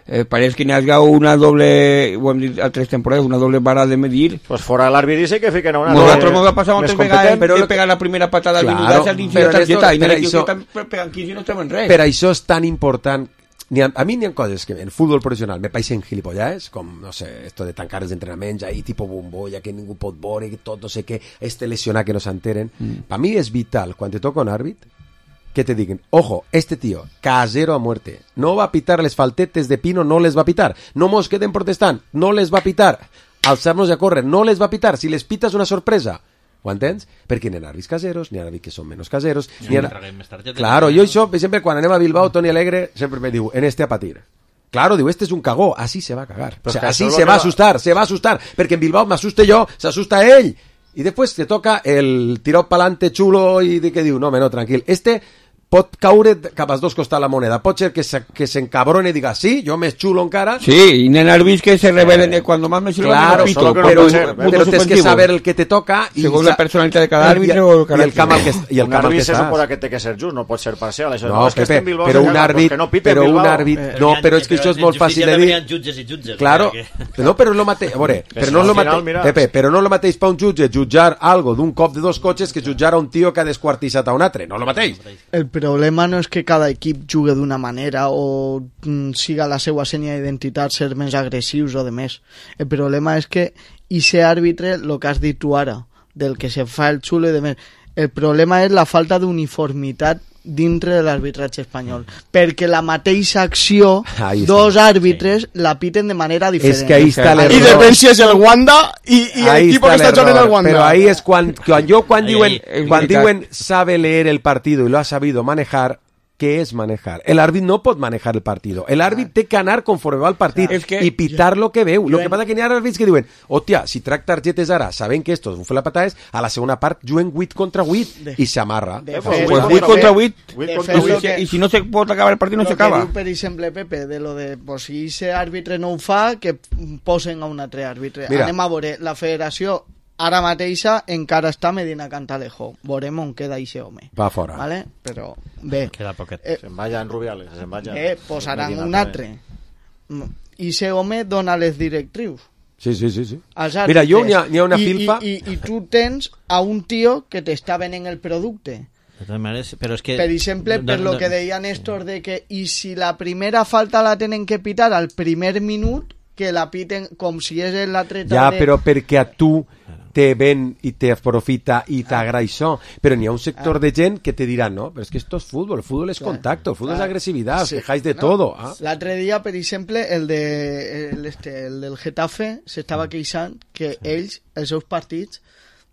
eh, pareix que n'hi hagi una doble, ho hem dit a tres temporades, una doble vara de medir. Pues fora l'àrbit dice que fiquen a una... Nosaltres ens ha passat moltes més vegades competent. però de lo que- pegar la primera patada al Claro, minut al dins de però la targeta, esto- i n'hi però ha que això- estan pegant quinze i no estem en res. Per això és tan important. N'hi ha, a mi n'hi ha coses que en futbol professional me paeixen gilipollades, com, no sé, esto de tancar els entrenaments ahí, tipo bombolla, que ningú pot veure, que tot no sé què, este lesionat que no s'enteren. Mm. Per mi és vital, quan te toca un àrbit, que te digan, ojo, este tío, casero a muerte, no va a pitar les faltetes de Pino, no les va a pitar, no mos queden protestant, no les va a pitar, alçar-nos a córrer, no les va a pitar, si les pitas una sorpresa. Ho entens? Perquè n'hi ha àrbits caseros, n'hi ha àrbits que són menys caseros. N'hi ha... traguem més targetes. Claro, jo això, per exemple, quan anem a Bilbao, Toni Alegre sempre me diu, en este a patir. Claro, diu, este es un cagó, así se va a cagar. Pero O sea, que así eso es lo se que va a va- asustar, se va a asustar, perquè en Bilbao m'assuste jo, s'assusta ell. I després te toca el tirot pa'lante xulo i de que diu, no, home, no, tranquil. Este pot caure cap als dos costats la moneda. Pot ser que se, que s'encabrone i diga, sí, jo més xulo encara. Sí, y n'hi ha àrbits que se rebelen de cuando más me sirve Claro, el pito, solo que no por però, pot ser, puntos però tens que ofensivos. saber el que te toca i Según sa- la personalitat de cada i- àrbitre i, o el i el caràcter. camp al que, i el un camp al que àrbit se estàs. suposa que té que ser just, no pot ser parcial. Això. No, és que Pepe, este en Bilbao però se un caga àrbit, perquè no pite en però un Bilbao. àrbit, Però no, n'hi ha- però és que això és molt fàcil de també dir. n'hi ha jutges i jutges. Claro, perquè- no, però és lo mateix, a veure, Que però si no és al lo final, mateix, mira- Pepe, però no és lo mateix pa un jutge jutjar algo d'un cop de dos cotxes que jutjar a un tio que ha desquartissat a un altre, no és lo mateix. El problema no és que cada equip jugui d'una manera o mm, siga la seva senya d'identitat ser més agressius o de més. El problema és que ese àrbitre, el que has dit tu ara, del que se fa el xulo i de més, el problema és la falta d'uniformitat dintre de l'arbitratge espanyol, perquè la mateixa acció Ahí está. dos àrbitres la piten de manera diferent. És que ahí està I l'error. depèn si és el Wanda i, i Ahí l'equip que está està el jugant en el error. Wanda. Pero ahí es cuando, cuando yo cuando Ahí, diuen, ahí. cuando Es veritat. diuen sabe leer el partido y lo ha sabido manejar, què és manejar. El àrbit no pot manejar el partit. El àrbit té que anar conforme va el partit és que i pitar lo que veu. jo Lo que passa que n'hi ha àrbits que diuen, hòstia, si trac targetes ara, sabent que esto bufe la patada és, a la segona part juguen vuit contra vuit i s'amarra. De Pues fet, vuit contra vuit. Vuit de contra fet, vuit. lo que- Y si no se puede acabar el partido, no lo se que acaba. diu, per exemple, Pepe, de lo de pues, si ese àrbitre no ho fa, que posen a un altre àrbitre. Mira. Anem a veure, la federació ara mateixa encara està Medina Cantalejo. Veurem on queda ixe home. Va fora. Vale? Però bé, Queda poquet. eh, Se'n vaya en Rubiales, se'n vaya. eh, posaran Medina un també. altre. Ixe home dona les directrius Sí, sí, sí. sí. als Mira, àrbitres. jo n'hi ha, n'hi ha una I, filfa... I, i, I tu tens a un tio que t'està venent el producte. De totes maneres, però és que... Per exemple, no- per no- lo que deia Néstor de que i si la primera falta la tenen que pitar al primer minut, que la piten com si és l'atleta Ja, de... però perquè a tu te ven i te aprofita i t'agrada això. Però n'hi ha un sector de gent que te dirà, no, però és que esto es fútbol, el fútbol es contacto, el fútbol es agresividad, os Sí. quejáis de No. todo. Ah. L'altre dia, per exemple, el, de, el, este, el del Getafe s'estava queixant que ells, els seus partits,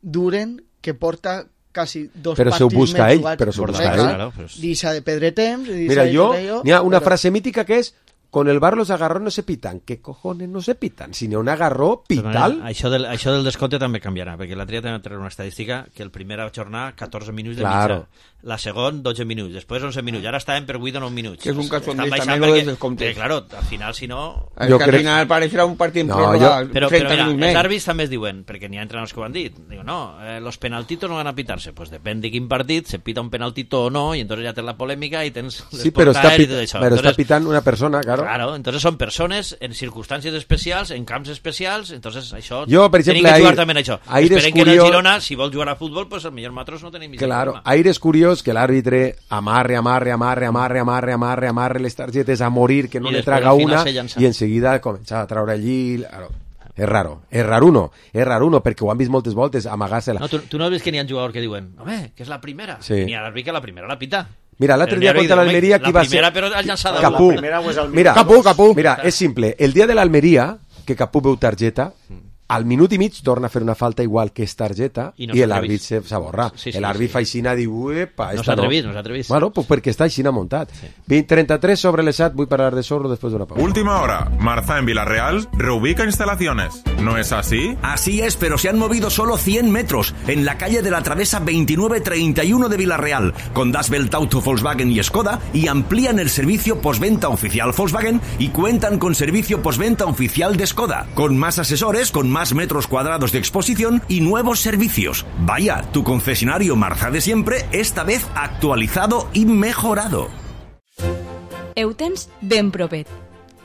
duren que porta quasi dos Però s'ho partits busca més ell, jugats. però s'ho busca Correcte. ell. Claro, pues. Deixa de perdre temps. deixa Mira, de yo, perdre n'hi ha una però- frase mítica que és con el bar los agarrons no se pitan. ¿Qué cojones no se pitan? Si n'hi ha un agarró, pital. Això del, això del descompte també canviarà, perquè l'altre dia també treure una estadística que el primera jornada catorze minuts de Claro. mitja, la segon dotze minuts, després onze minuts, ara estàvem per vuit o nou minuts. Que és un cachondeo Estan també baixant lo del perquè, descompte. perquè, claro, al final, si no... Es Yo que creo- al final parecerá un partido en No, prórroga, yo- Però, treinta però mira, minutos els més. àrbits també es diuen, perquè n'hi ha entrenadors que ho han dit, diu, no, eh, los penaltitos no van a pitarse, pues depèn de quin partit, se pita un penaltito o no, y entonces ya tens la polèmica y tens les Sí, pero está, portadas y pita- tot això. pero está Entonces, pitando una persona, claro. Claro, entonces son persones en circumstàncies especials, en camps especials, entonces això... Jo, per exemple, tenim que jugar ahir- també en això. ahir és Esperem que en el curiós- Girona, si vol jugar a futbol, pues el millor nosaltres no tenim Claro, problema. aire és curiós que l'àrbitre amarre, amarre, amarre, amarre, amarre, amarre, amarre les targetes a morir, que no I le després, traga al final, una, se llança. i en seguida comença a traure allí... Claro. És raro, és raruno, és raruno, perquè ho han vist moltes voltes, amagar-se-la. No, tu, tu no has vist que n'hi ha jugadors que diuen, home, que és la primera. Sí. N'hi ha l'àrbit que la primera la pita. Mira, l'altre Però dia n'hi ha contra habido, l'Almeria, home, qui va La primera, ser... però has llançat a Capú. La primera o és el Mira, Capú, Capú. Mira, és simple. El dia de l'Almeria, que Capú veu targeta, al minut i mig torna a fer una falta igual que és targeta I i, no s'ha l'àrbit atrevit. se- s'aborra. Sí, sí, l'àrbit sí. fa aixina, diu, epa, No esta s'ha atrevit, no s'ha atrevit. Bueno, pues perquè està aixina muntat. vint trenta-tres sobre les set, vull parlar de Sorro després d'una pausa. Última hora. Marza en Villarreal reubica instalaciones. ¿No es así? Así es, pero se han movido solo cien metros en la calle de la Travesa veintinueve treinta y uno de Villarreal, con Das Belt Auto, Volkswagen y Skoda, y amplían el servicio postventa oficial Volkswagen y cuentan con servicio postventa oficial de Skoda, con más asesores, con más metros cuadrados de exposición y nuevos servicios. Vaya, tu concesionario Marza de siempre, esta vez actualizado y mejorado. Heu tens ben propet.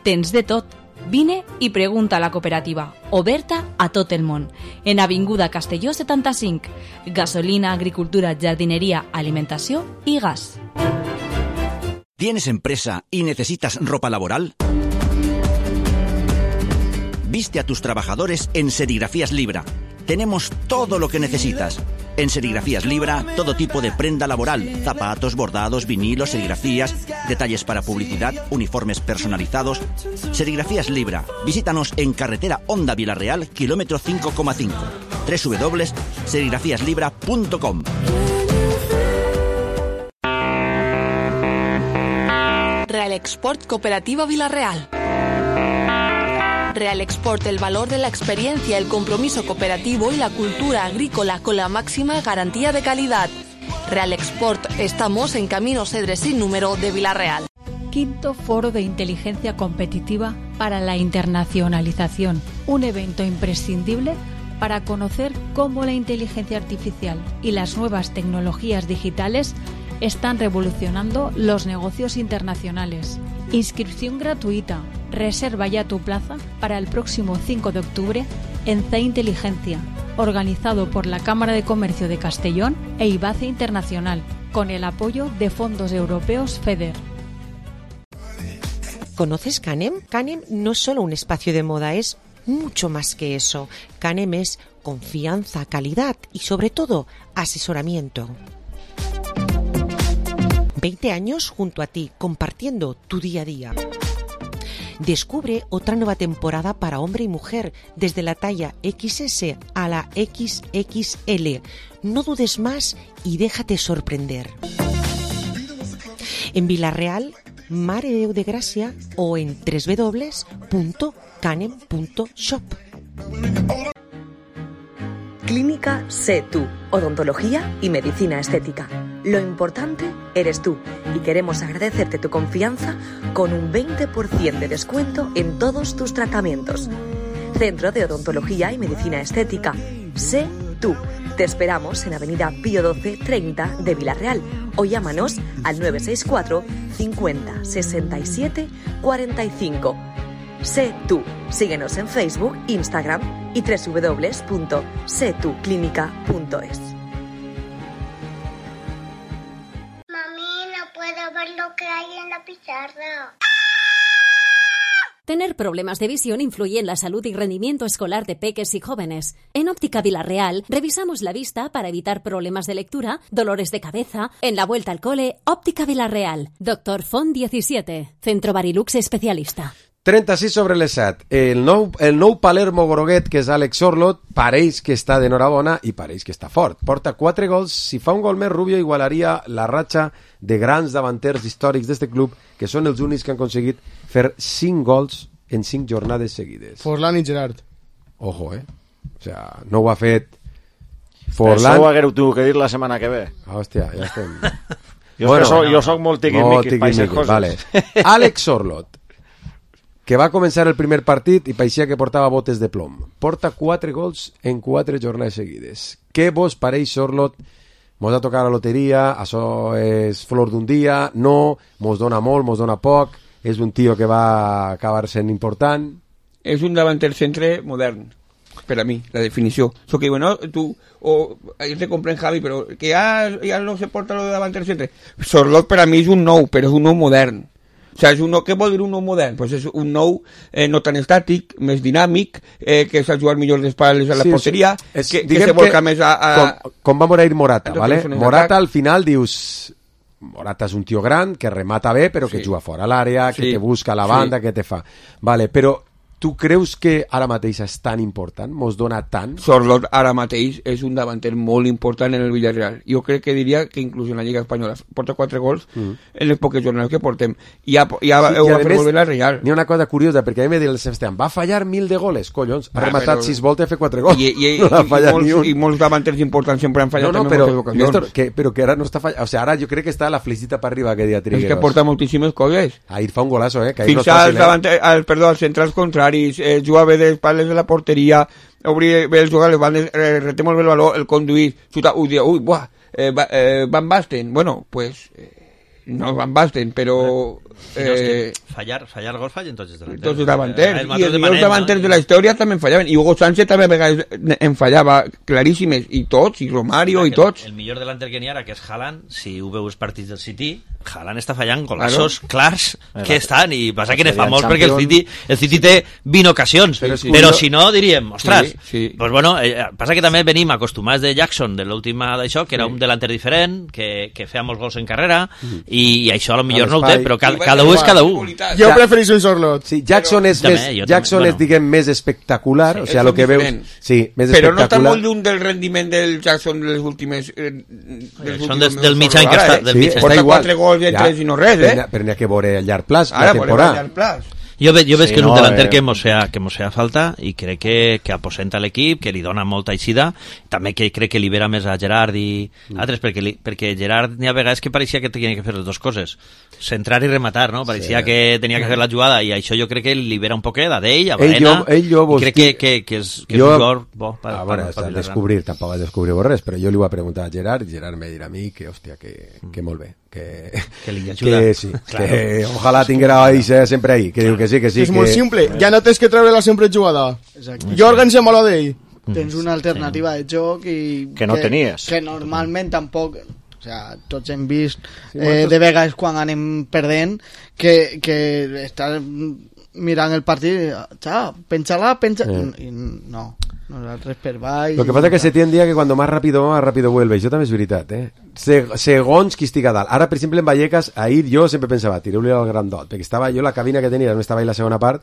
Tens de tot. Vine i pregunta a la cooperativa, oberta a tot el món. En Avinguda Castelló setanta-cinc. Gasolina, agricultura, jardineria, alimentació i gas. ¿Tienes empresa y necesitas ropa laboral? Viste a tus trabajadores en Serigrafías Libra. Tenemos todo lo que necesitas. En Serigrafías Libra, todo tipo de prenda laboral, zapatos, bordados, vinilos, serigrafías, detalles para publicidad, uniformes personalizados. Serigrafías Libra. Visítanos en carretera Honda Villarreal, kilómetro cinco coma cinco. doble u doble u doble u punto serigrafías libra punto com. Real Export Cooperativa Villarreal. Real Export, el valor de la experiencia, el compromiso cooperativo y la cultura agrícola con la máxima garantía de calidad. Real Export, estamos en Camino Cedres sin número de Villarreal. Quinto Foro de Inteligencia Competitiva para la Internacionalización, un evento imprescindible para conocer cómo la inteligencia artificial y las nuevas tecnologías digitales están revolucionando los negocios internacionales. Inscripción gratuita. Reserva ya tu plaza para el próximo cinco de octubre en C Inteligencia, organizado por la Cámara de Comercio de Castellón e IBACE Internacional, con el apoyo de fondos europeos FEDER. ¿Conoces Canem? Canem no es solo un espacio de moda, es mucho más que eso. Canem es confianza, calidad y sobre todo asesoramiento. veinte años junto a ti, compartiendo tu día a día. Descubre otra nueva temporada para hombre y mujer, desde la talla equis ese a la equis equis ele. No dudes más y déjate sorprender. En Vilareal, Mare de Déu de Gràcia o en w w w punto canem punto shop. Clínica Sé Tú, odontología y medicina estética. Lo importante eres tú y queremos agradecerte tu confianza con un veinte por ciento de descuento en todos tus tratamientos. Centro de Odontología y Medicina Estética. Sé Tú. Te esperamos en Avenida Pío doce treinta de Vilareal o llámanos al nueve seis cuatro cincuenta sesenta y siete cuarenta y cinco. Sé Tú. Síguenos en Facebook, Instagram y w w w punto sé tú clínica punto es. Mami, no puedo ver lo que hay en la pizarra. Tener problemas de visión influye en la salud y rendimiento escolar de peques y jóvenes. En Óptica Vilareal revisamos la vista para evitar problemas de lectura, dolores de cabeza. En la vuelta al cole, Óptica Vilareal. Doctor Font diecisiete. Centro Barilux especialista. trenta-sis sobre les set. El nou, el nou Palermo groguet, que és Alex Sorloth, pareix que està d'enhorabona i pareix que està fort. Porta quatre gols. Si fa un gol més, Rubio igualaria la ratxa de grans davanters històrics d'este club, que són els únics que han aconseguit fer cinc gols en cinc jornades seguides. Forlán i Gerard. Ojo, eh? O sea, no ho ha fet Forlán. Això ho haguereu tu que dir la setmana que ve. Hòstia, ja estem. jo, bueno, so, jo soc molt tiquimiqui per aquestes coses. Vale. Alex Sorloth, que va començar el primer partit i paeixia que portava botes de plom. Porta quatre gols en quatre jornades seguides. Què vos pareix, Sorloth? Mos ha tocat la loteria, això és flor d'un dia, no, mos dona molt, mos dona poc, és un tio que va acabar sent important. És un davanter centre modern, per a mi, la definició. So que, bueno, tu, o, jo te compren Javi, però que ja, ja no se porta lo de davanter centre. Sorloth per a mi és un nou, però és un nou modern. O sea, és un nou, què vol dir un nou modern? Pues és un nou eh, no tan estàtic, més dinàmic, eh, que sap jugar millor d'espaldes a la sí, porteria, sí. És, que, que se volca que, més a... a... Com, com va morir Morata, ¿vale? Morata al final dius... Morata és un tio gran, que remata bé, però que sí. juga fora l'àrea, que sí. te busca la banda, sí. que te fa... Vale, però tu creus que ara mateix és tan important? Mos dona tant? Sorloth ara mateix és un davanter molt important en el Villarreal. Jo crec que diria que inclús en la Lliga Espanyola porta quatre gols mm. en les poques jornades que portem. I ja, ja sí, ho va fer molt bé la Real. N'hi ha una cosa curiosa, perquè a mi m'ha dit el Sebastián, va fallar mil de goles, collons. Ha ah, rematat però... sis voltes i ha fet quatre gols. I, i, no i, i, molts, I molts davanters importants sempre han fallat no, no, també però, moltes ocasions. Néstor, que, però que ara no està fallant. O sigui, ara jo crec que està la felicita per arriba que dia Trigueros. És que porta moltíssimes coses. Ahir fa un golazo, eh? Que Fins no als, davanter, al, perdó, als centrals contraris, eh, juga bé d'espaldes de la porteria, obrir bé el jugar, el eh, reté molt bé el valor, el conduir, xuta, ui, ui, buah, eh, eh, Van Basten, bueno, pues eh, no Van Basten, però eh, no, fallar, fallar gol fallen tots els davanters, tots els davanters, eh, i els millors davanters no? de la història també en fallaven, i Hugo Sánchez també a vegades en fallava claríssimes, i tots, i Romario, i tots. El, el millor delanter que n'hi ha, que és Haaland, si ho veus partits del City, Haaland està fallant golaços claro. clars que estan, i passa que ne fa molts perquè el City, el City té vint ocasions, però, sí, però si no diríem, ostres, sí, sí. pues bueno, eh, passa que també venim acostumats de Jackson, de l'última d'això, que era sí. un delanter diferent, que, que feia molts gols en carrera, mm. i, i això a lo millor no ho té, però cada, cada un és cada un. Jo prefereixo un Sorloth. Sí, Jackson és, també, més, Jackson també, és bueno. diguem, més espectacular, sí, o sigui, lo que veus... Sí, més però espectacular. no està molt lluny del rendiment del Jackson de les últimes... Eh, dels Són des, del mitjà que està... Sí, porta quatre gols i tres i no res, eh? Però n'hi ha que veure a llarg plaç, la temporada. Jo, ve, jo veig sí, que és un no, delanter eh... que mos sea, que mos sea falta i crec que, que aposenta l'equip, que li dona molta eixida, també que crec que libera més a Gerard i mm. altres, perquè, li, perquè Gerard n'hi ha vegades que pareixia que tenia que fer les dues coses, centrar i rematar, no? Pareixia sí. que tenia que fer la jugada i això jo crec que libera un poquet a d'ell, a Baena, ell jo, ell i crec que, que, que és, que jo... és un jugador bo. Per, ah, bueno, per, per descobrir, tampoc va descobrir res, però jo li ho va preguntar a Gerard i Gerard me dirà a mi que, hòstia, que, mm. que molt bé. Que, que li ajuda. Que sí, claro. Que ojalà tinguera ahí sempre ahí, que diu que sí, que sí. És que... molt simple, ja no tens que treure-la sempre jugada. Exacte. Jorgen se mola d'ell. Tens una alternativa sí. de joc i... Que no que, tenies. Que normalment tampoc... O sea, tots hem vist eh, de vegades quan anem perdent que, que està mirant el partit i pensa-la, pensa... Sí. I no... Nosaltres per baix... Lo que pasa es que se tiene un día que cuando más rápido, más rápido vuelve. Això també és veritat, eh? Segons qui estic a dalt. Ara, per exemple, en Vallecas, ahir jo sempre pensava, tireu-li al grandot, perquè estava jo, la cabina que tenia, no estava ahí la segona part,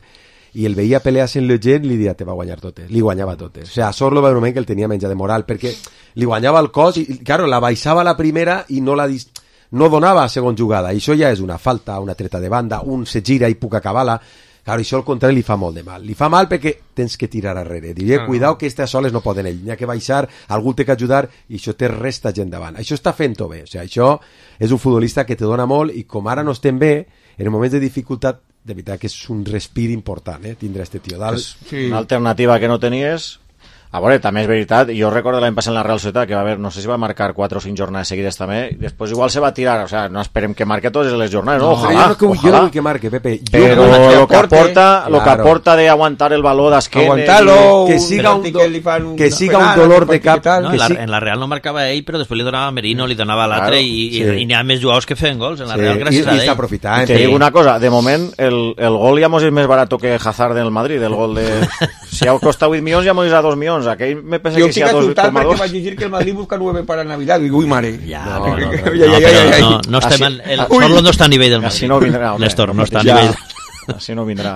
i el veia pelear en le gent, li dia, te va guanyar totes. Li guanyava totes. O sigui, a Sorlo va un moment que el tenia menja de moral, perquè li guanyava el cos, i, claro, la baixava la primera i no la... Dis... no donava segons jugada, i això ja és una falta, una treta de banda, un se gira i puc acabar-la. Claro, això al contrari li fa molt de mal. Li fa mal perquè tens que tirar arrere. Diria, ah, cuidao que aquestes soles no poden ell. N'hi ha que baixar, algú té que ajudar i això té resta gent davant. Això està fent-ho bé. O sigui, això és un futbolista que te dona molt i com ara no estem bé, en moments de dificultat, de veritat que és un respir important, eh, tindre este tio dalt. Sí. Una alternativa que no tenies. A veure, també és veritat, jo recordo l'any passat en la Real Societat que va haver, no sé si va marcar quatre o cinc jornades seguides també, i després igual se va tirar, o sea, no esperem que marque totes les jornades, no, ojalà, jo no, que, ojalà. Jo no vull que marque, Pepe. Jo però lo que aporta, lo que claro. aporta de aguantar el baló d'esquena, aguantar-lo, que siga un, do, que siga un dolor de cap. No, que en, la, sí. en la Real no marcava ell, però després li donava a Merino, li donava a l'altre, claro, i, sí. i, i n'hi ha més jugadors que feien gols en la sí. Real gràcies I, a ell. I està aprofitant. Te digo una cosa, de moment el, el gol ja mos és més barat que Hazard del Madrid, el gol de... Si ha costat vuit milions ja mos és a dos milions, aquell me pensa jo que si a dos coma dos... perquè vaig dir que el Madrid busca nueve para Navidad, digo, uy, mare. Ja, no, no, no, no, ja, ja, ja, ja. no, no estem en, el Sorlo no està a nivell del Madrid. Así no vindrà, Néstor, no està a ja. nivell. Así no vindrà.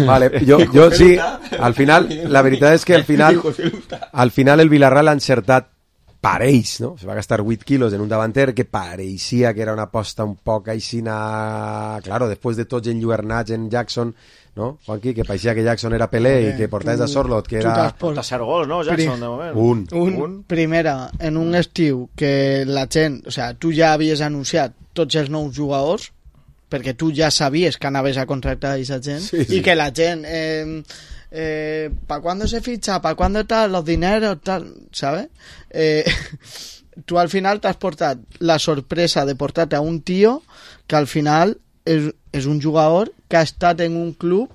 Vale, jo, jo sí, al final, la veritat és que al final, al final el Villarreal ha encertat pareix, no? Se va gastar vuit quilos en un davanter que pareixia que era una aposta un poc aixina, claro, després de tots enlluernats en Jackson, no? Juanqui, que pareixia que Jackson era Pelé i que portaves a Sorlot, que era... Porta zero gols, no, Jackson, de moment? Un. Un, un. Primera, en un estiu que la gent, o sea, tu ja havies anunciat tots els nous jugadors, perquè tu ja sabies que anaves a contractar a aquesta gent, sí, sí. i que la gent... Eh, Eh, ¿para cuándo se ficha? ¿Para cuándo tal? Los dineros, tal, ¿sabes? Eh, tú al final te has portado la sorpresa de portarte a un tío que al final es, es un jugador que ha estat en un club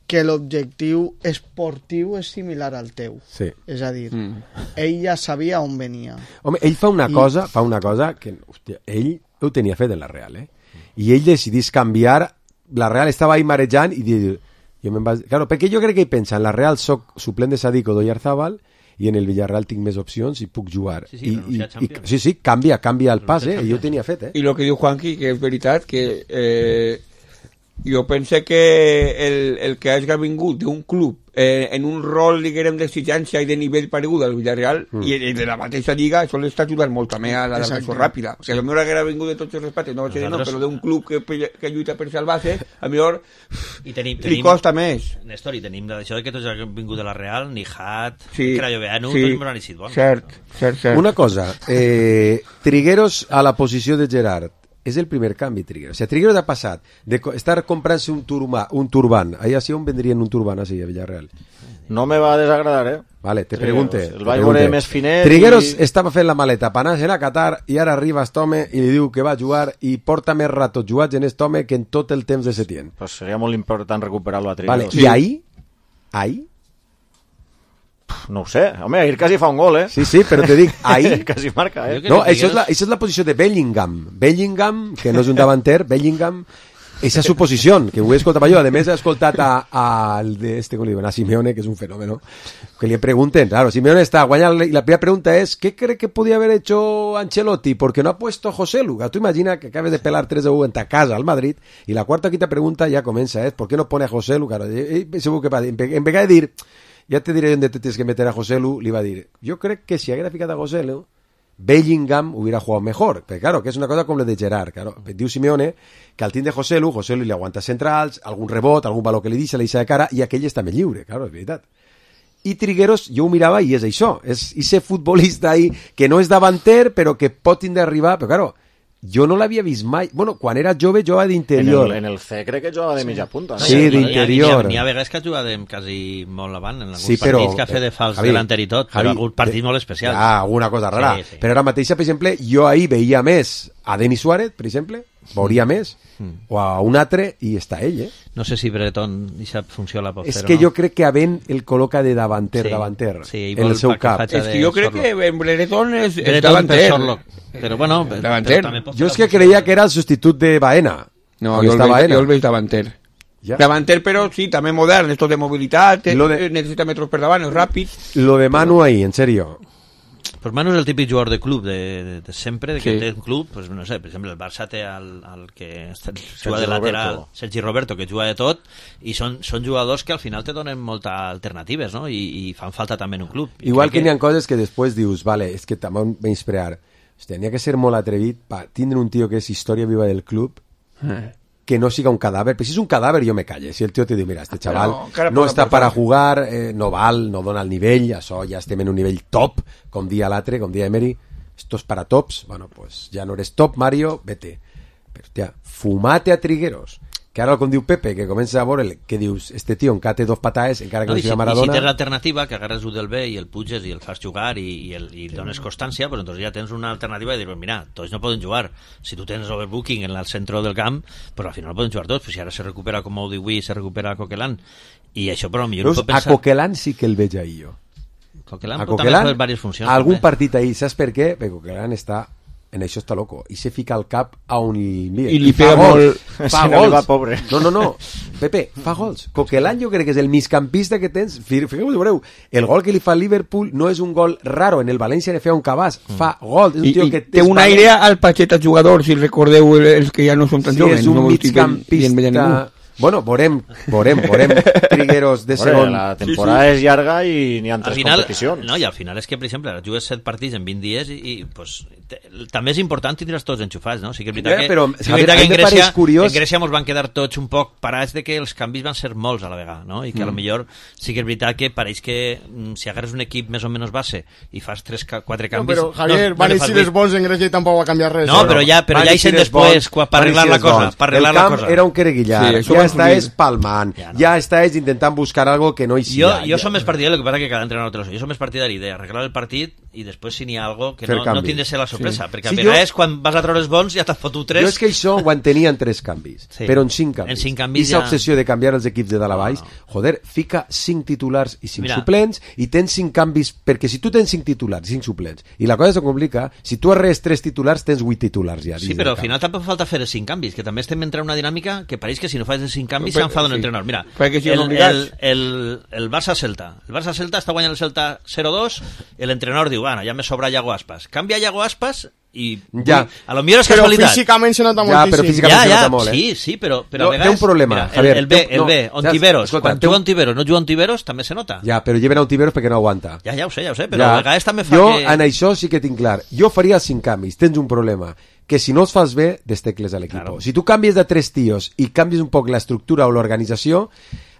que l'objectiu esportiu és similar al teu. Sí. És a dir, mm. ell ja sabia on venia. Home, ell fa una I... cosa, fa una cosa que, hòstia, ell ho tenia fet en la Real, eh? I ell decidís canviar, la Real estava ahí marejant i dir... Jo me'n vaig... Claro, perquè jo crec que ell pensa, en la Real soc suplent de Sadico d'Oyarzabal i en el Villarreal tinc més opcions i puc jugar. Sí, sí, I, i, i, sí, sí, canvia, canvia el pas, eh? I jo ho tenia fet, eh? I el que diu Juanqui, que és veritat, que eh, jo pense que el, el que hagi vingut d'un club eh, en un rol, diguem, d'exigència i de nivell paregut al Villarreal mm. i de la mateixa lliga, això l'està ajudant molt també a l'adaptació ràpida. O sigui, a lo millor haguera vingut de tots els respectes, no va ser no, però d'un club que, que lluita per salvar-se, a lo millor I tenim, li tenim, costa més. Néstor, i tenim d'això que tots han vingut de la Real, ni Hat, sí, Crayoveanu, sí, tots m'han eixit bons. Cert, cert, cert. Una cosa, eh, Trigueros a la posició de Gerard, és el primer canvi, Trigueros. O sigui, Trigueros ha passat de estar comprant-se un, turma, un turban. Ahí así on vendrien un turban así a Villarreal. No me va a desagradar, eh? Vale, te Trigueros. pregunte. El vaig veure més finet. Trigueros i... estava fent la maleta per anar-se a Qatar i ara arriba aquest home i li diu que va jugar i porta més ratos jugats en aquest home que en tot el temps de Setién. Pues seria molt important recuperar-lo a Trigueros. Vale, sí. I ahí? Ahí? No ho sé, home, ahir quasi fa un gol, eh? Sí, sí, però te dic, ahí... quasi marca, eh? No, això és, la, això és la posició de Bellingham. Bellingham, que no és un davanter, Bellingham, esa és su posició, que ho he escoltat jo. A més, he escoltat al de este, com li diuen, a Simeone, que és un fenómeno, que li pregunten, claro, Simeone està guanyant, y la primera pregunta es, ¿qué cree que podía haber hecho Ancelotti? Porque no ha puesto José Lu. Tú imagina que acabes de pelar tres a uno en ta casa al Madrid, y la cuarta quinta pregunta ya comienza, es, ¿por qué no pone a José Lu? Claro, y, y, segur que va, en vez de dir, ja te diré on te tienes que meter a José Lu, li va dir, jo crec que si haguera ficat a José Lu, Bellingham hubiera jugado mejor, pero claro, que es una cosa com la de Gerard, claro, diu Simeone que al team de José Lu, José Lu li aguanta centrals, algun rebot, algun valor que li deixa, li deixa de cara, i aquell està més lliure, claro, és veritat. I Trigueros, jo ho mirava i és això, és ese futbolista ahí que no és davanter, però que pot tindre a arribar, però claro, jo no l'havia vist mai. Bueno, quan era jove jugava d'interior. En, en el C crec que jugava de sí. mitja punta. No? Sí, d'interior. N'hi ha, ha, ha vegades que ha jugat quasi molt avant, en alguns sí, però, partits que ha fet de fals Javi, delanter i tot, però algun partit molt especial. Ah, alguna cosa rara. Sí, sí. Però ara mateixa, per exemple, jo ahir veia més a Denis Suárez, per exemple, veuria més, mm. o a un altre, i està ell, eh? No sé si Breton deixa funciona la pot és fer que no. jo crec que a Ben el col·loca de davanter, sí, davanter, sí, en el seu cap. És que jo crec que en Breton és, és Breton davanter. Però bueno, davanter. Però jo és que creia que era el substitut de Baena. No, jo el, veig, jo el veig davanter. Ja. Davanter, però sí, també modern, esto de mobilitat, de... necessita metros per davant, és ràpid. Lo de Manu ahí, en serio. Pues Manu és el típic jugador de club de, de, de sempre, de que sí. té un club, pues no sé, per exemple el Barça té el, el que juga de lateral, Roberto. Sergi Roberto, que juga de tot, i són, són jugadors que al final te donen moltes alternatives, no? I, i fan falta també en un club. I igual que, que n'hi ha coses que després dius, vale, és que també menysprear. Tenia que ser molt atrevit per tindre un tio que és història viva del club, eh. que no siga un cadàver, però si és un cadàver jo me calle, si el tio te diu, mira, este xaval no, no està per a jugar, eh, no val, no dona el nivell, això ja estem en un nivell top, com dia l'altre, com dia Emery, esto es para tops, bueno, pues ja no eres top, Mario, vete. Però, tia, fumate a Trigueros, que ara com diu Pepe, que comença a veure que dius, este tio encara té dos pataes, encara que no, no siga Maradona. I si tens l'alternativa, que agarres un del B i el puges i el fas jugar i, i, el, i sí. dones constància, pues entonces ja tens una alternativa de dir, pues mira, tots no poden jugar. Si tu tens overbooking en el centre del camp, pues al final no poden jugar tots, pues si ara se recupera com ho diu avui, se recupera Coquelin. I això, però millor no pot pensar... A Coquelin sí que el veig ahir jo. Coquelin, a Coquelin, també fa diverses funcions. Algun també. Partit ahir, saps per què? Perquè Coquelin està... en això està loco, i se fica el cap a on li envia. I li pega molt... Fa gols. Va, pobre. No, no, no. Pepe, fa gols. Coquelin jo crec que és el migcampista que tens. Fixeu-vos, veureu, el gol que li fa al Liverpool no és un gol raro. En el València ne feia un cabàs. Fa gol. És un tio I, que té un aire al Pacheta jugador, si recordeu els que ja no són tan sí, joves. És un no migcampista... Bueno, veurem, veurem, veurem Trigueros de segon. La temporada sí, sí. és llarga i n'hi ha tres final, competicions. No, i al final és que, per exemple, jugues set partits en vint dies i, i pues, te, també és important tindre's tots enxufats, no? Sí que és veritat que, però, sí que, veritat que en, Grècia, curiós... en Grècia mos van quedar tots un poc parats de que els canvis van ser molts a la vegada, no? I que mm. a lo millor sí que és veritat que pareix que mm, si agarres un equip més o menys base i fas tres, quatre canvis... No, però, Javier, no, van no eixir els bons en Grècia i tampoc va canviar res. No, però ja, però ja hi sent després per arreglar la cosa. Per arreglar el camp la cosa. era un quereguillar, sí, ja està és palma. Ja, no. ja estàs intentant buscar algo que no hi sigui. Jo, jo ja. som més partidari, el que passa que cada entrenador té lo seu. Jo som més partidari d'arreglar el partit i després si n'hi ha algo que no, no tindre de ser la sorpresa, sí. perquè a sí, vegades jo... quan vas a treure els bons ja t'has fotut tres. Jo és que això ho entenia en tres canvis, sí. però en cinc canvis. En cinc canvis I ja... obsessió de canviar els equips de dalt a baix, no, no. joder, fica cinc titulars i cinc Mira. suplents i tens cinc canvis, perquè si tu tens cinc titulars i cinc suplents i la cosa se complica, si tu arres tres titulars tens vuit titulars ja. Sí, però al final tampoc falta fer els cinc canvis, que també estem entrant en una dinàmica que pareix que si no fas els cinc canvis s'enfada un entrenador. Mira, el, el, el, el Barça-Celta. El Barça-Celta està guanyant el Celta zero dos, l'entrenador diu, bueno, ja me sobra Iago Aspas. Canvia Iago Aspas i ja. a lo millor és casualitat. Però físicament se nota ja, moltíssim. Però físicament ja, se ja, nota molt, eh? Sí, sí, però, però no, a vegades... Té un problema, mira, Javier. El, el B, el no, B, Ontiveros. Escolta, quan juga Ontiveros, no juga Ontiveros, també se nota. Ja, però lleven Ontiveros perquè no aguanta. Ja, ja ho sé, ja ho sé, però ja. a vegades també fa jo, que... Jo en això sí que tinc clar. Jo faria els cinc canvis. Tens un problema. Que si no els fas bé, destecles a l'equip. Claro. Si tu canvies de tres tios i canvies un poc l'estructura o l'organització,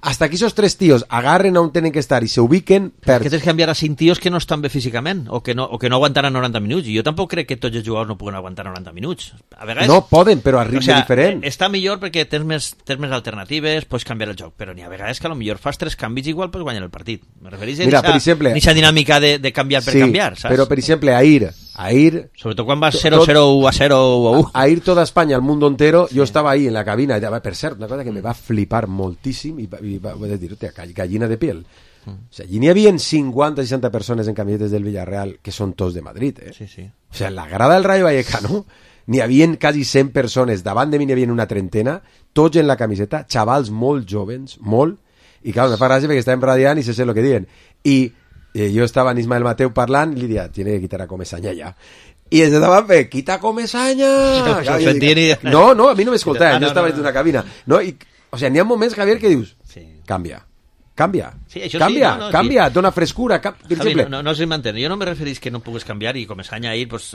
hasta que esos tres tíos agarren on tenen que estar i se ubiquen... Per... Que tens que canviar a cinc tios que no estan bé físicament o que no, o que no aguantaran noranta minuts. I jo tampoc crec que tots els jugadors no puguen aguantar noranta minuts. A vegades... No poden, però a ritme o sea, diferent. Està millor perquè tens més, tens més alternatives, pots canviar el joc, però n'hi ha vegades que a lo millor fas tres canvis igual pots guanyar el partit. Me referís a aquesta dinàmica de, de canviar per sí, canviar, saps? Però, per exemple, ahir... ahir Sobretot quan vas cero cero a cero a u. Ahir toda España, el mundo entero, sí. Yo estaba ahí en la cabina, per cert, una cosa que me va flipar moltíssim i, i va, va dir, hòstia, gallina de piel. Mm. O sea, allí n'hi havia cinquanta o seixanta persones en camisetes del Villarreal que són tots de Madrid, eh? Sí, sí. O sea, en la grada del Rayo Vallecano n'hi havia quasi cent persones, davant de mi n'hi havia una trentena, tots en la camiseta, xavals molt jovens, molt, i clar, me fa gràcia perquè estàvem radiant i se sé el que diuen. I eh, jo estava en Ismael Mateu parlant i li dia, tiene que quitar a Comesaña ja. I ens estaven fent, quita Comesaña! No, no, a mi no m'escoltaven, jo estava en una cabina. No, i, o sea, n'hi ha moments, Javier, que dius, sí. canvia. Canvia, sí, això canvia, sí, no, no, canvia, sí. dona frescura. Cap... Javi, no, no, no se m'entén. Jo no me referís que no pugues canviar i Comesaña ahir, pues,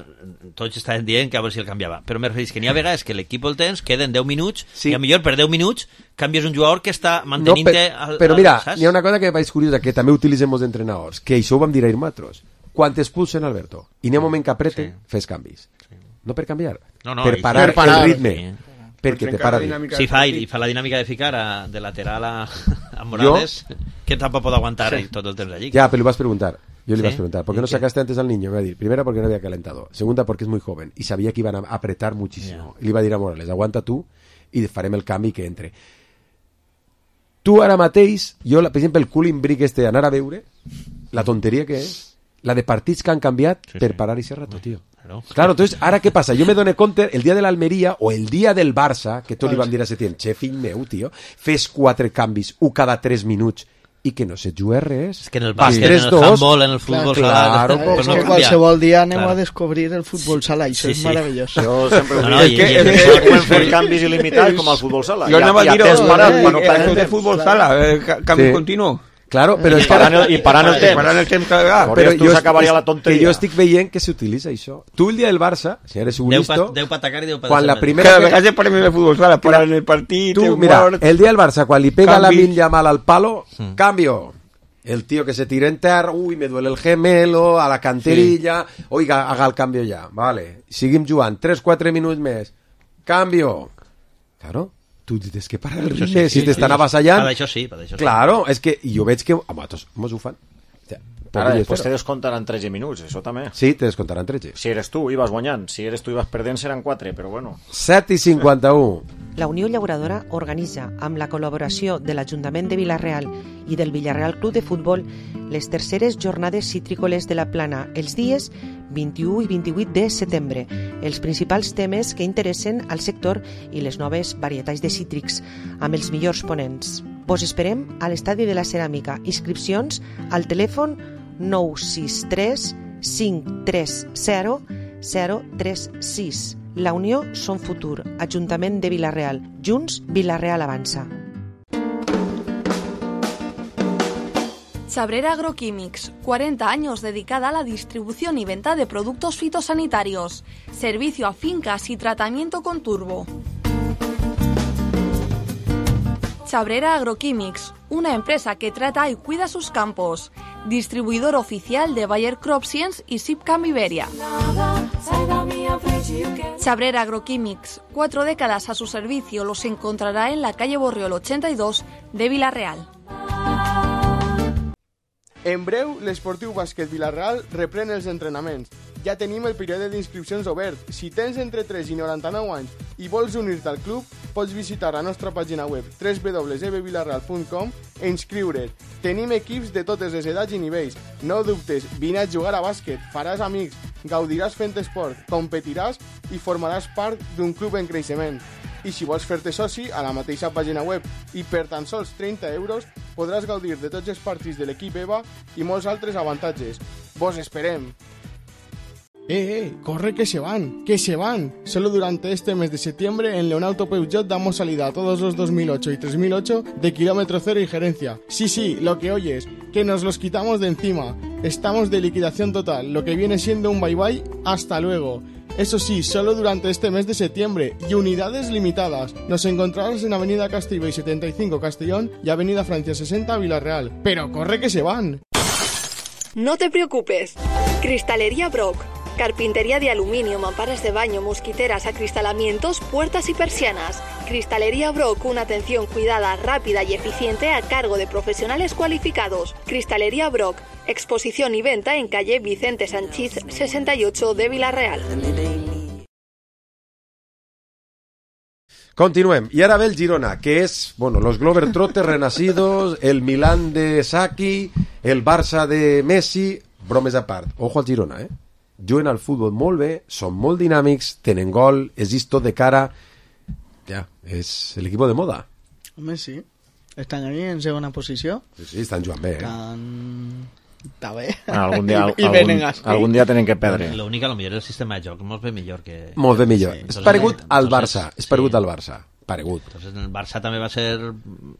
tots estaven dient que a veure si el canviava. Però me referís que n'hi ha vegades que l'equip el tens, queden deu minuts, sí. i a millor per deu minuts canvies un jugador que està mantenint-te... No, per, però mira, n'hi ha una cosa que me pareix curiosa, que també utilitzem els entrenadors, que això ho vam dir ahir nosaltres. Quan t'expulsen, Alberto, i n'hi ha un moment que apreten, sí. fes canvis. Sí. No per canviar, no, no, per parar, per parar el ritme. Sí. Perquè te para sí, fa, i fa la dinàmica de ficar a, de lateral a, a Morales, jo? Que tampoc pot aguantar sí. tot el temps allí. Ja, però li vas preguntar. Yo le ¿Sí? vas a preguntar, ¿por qué no sacaste antes al niño? Me va a decir, primera, porque no había calentado. Segunda, porque es muy joven. Y sabía que iban a apretar muchísimo. Yeah. Y le iba a dir a Morales, aguanta tu i farem el canvi que entre. Tu ara mateix, jo, per exemple, el cooling brick este, anar a veure, la tonteria que és, la de partits que han canviat sí, per sí. parar i ser rato, tio. Claro. claro, entonces, ara què passa? Jo me doné compte, el dia de l'Almeria o el dia del Barça, que tot li vam dir a Setién, che, fill meu, tio, fes quatre canvis, un cada tres minuts, i que no se juga res. És que en el bàsquet, en el handball, en el futbol claro, sala... Claro, pues és no que canvia. qualsevol dia anem claro. a descobrir el futbol sala, i això sí, és sí. meravellós. Jo sempre ho no, dic. no, és que, i, és que podem fer canvis il·limitats com al futbol sala. Jo anava a dir-ho, parat, eh, això de futbol sala, eh, canvi sí. continu. Claro, però I és que parant el, i parant el temps. Parant el temps cada vegada. Però jo s'acabaria la tonteria. Que jo estic veient que s'utilitza això. Tu el dia del Barça, si eres un listo... Deu pa atacar i deu pa quan la defender. primera... Cada vegada se ponen de futbol sala, paran el partit, Tu, el mira, mort... el dia del Barça, quan li pega Canvi. la Lamine Yamal al palo, cambio. El tío que se tira en terra, uy, me duele el gemelo, a la canterilla, sí. Oiga, haga el cambio ya, vale. Seguim jugant, tres quatre minuts més. Cambio. Claro, tu tens que parar el ritme, sí, si sí, t'estan sí. avassallant. Per això sí, per això sí. Claro, és que jo veig que a vosaltres mos ho fan. Ara, després te descontaran tretze minuts, això també. Sí, te descontaran tretze. Si eres tu, ibas guanyant. Si eres tu, ibas perdent, seran quatre, però bueno. set i cinquanta-u. La Unió Llauradora organitza, amb la col·laboració de l'Ajuntament de Vila-real i del Villarreal Club de Futbol, les terceres jornades citrícoles de la Plana els dies vint-i-u i vint-i-vuit de setembre. Els principals temes que interessen al sector i les noves varietats de cítrics, amb els millors ponents. Vos esperem a l'Estadi de la Ceràmica. Inscripcions al telèfon nou sis tres cinc tres zero zero tres sis. La Unió som futur. Ajuntament de Vila-real. Junts, Vila-real avança. Chabrera Agroquímics, cuarenta años dedicada a la distribución y venta de productos fitosanitarios. Servicio a fincas y tratamiento con turbo. Chabrera Agroquímics, una empresa que trata y cuida sus campos. Distribuidor oficial de Bayer CropScience y Sipcam Iberia. Chabrera Agroquímics, cuatro décadas a su servicio, los encontrará en la calle Borriol ochenta y dos de Vila-real. En breu, l'Esportiu Bàsquet Vila-real reprèn els entrenaments. Ja tenim el període d'inscripcions obert. Si tens entre tres i noranta-nou anys i vols unir-te al club, pots visitar la nostra pàgina web w w w punt e b vilarreal punt com e inscriure't. Tenim equips de totes les edats i nivells. No dubtes, vine a jugar a bàsquet, faràs amics, gaudiràs fent esport, competiràs i formaràs part d'un club en creixement. I si vols fer-te soci, a la mateixa pàgina web i per tan sols trenta euros podràs gaudir de tots els partits de l'equip EVA i molts altres avantatges. Vos esperem! Eh, eh, corre que se van, que se van. Solo durante este mes de septiembre en Leonauto Peugeot damos salida a todos los dos mil ocho y tres mil ocho de kilómetro cero y gerencia. Sí, sí, lo que oyes, que nos los quitamos de encima. Estamos de liquidación total, lo que viene siendo un bye bye, hasta luego. Eso sí, solo durante este mes de septiembre y unidades limitadas. Nos encontrarás en Avenida Castellbell setenta y cinco Castellón y Avenida Francia sesenta Vila-real. Pero corre que se van. No te preocupes. Cristalería Brock. Carpintería de aluminio, mamparas de baño, mosquiteras, acristalamientos, puertas y persianas. Cristalería Brock, una atención cuidada, rápida y eficiente a cargo de profesionales cualificados. Cristalería Brock, exposición y venta en calle Vicente Sanchís sesenta y ocho de Vila-real. Continuem. I ara ve el Girona, que és, bueno, los Globetrotters renacidos, el Milán de Saki, el Barça de Messi, bromes a part. Ojo al Girona, eh? Juguen al futbol molt bé, són molt dinàmics, tenen gol, és tot de cara... Ja, és l'equip de moda. Home, sí. Estan allí en segona posició. Sí, sí, estan jugant bé, eh? Estan... Està bé. Bueno, algun dia, I, i algun, algun dia tenen que perdre. L'únic, a lo millor, el sistema de joc molt bé millor que... Molt bé millor. Sí. És Entonces, paregut al Barça. Entonces, És paregut sí. al Barça. Paregut. Entonces, el Barça també va ser...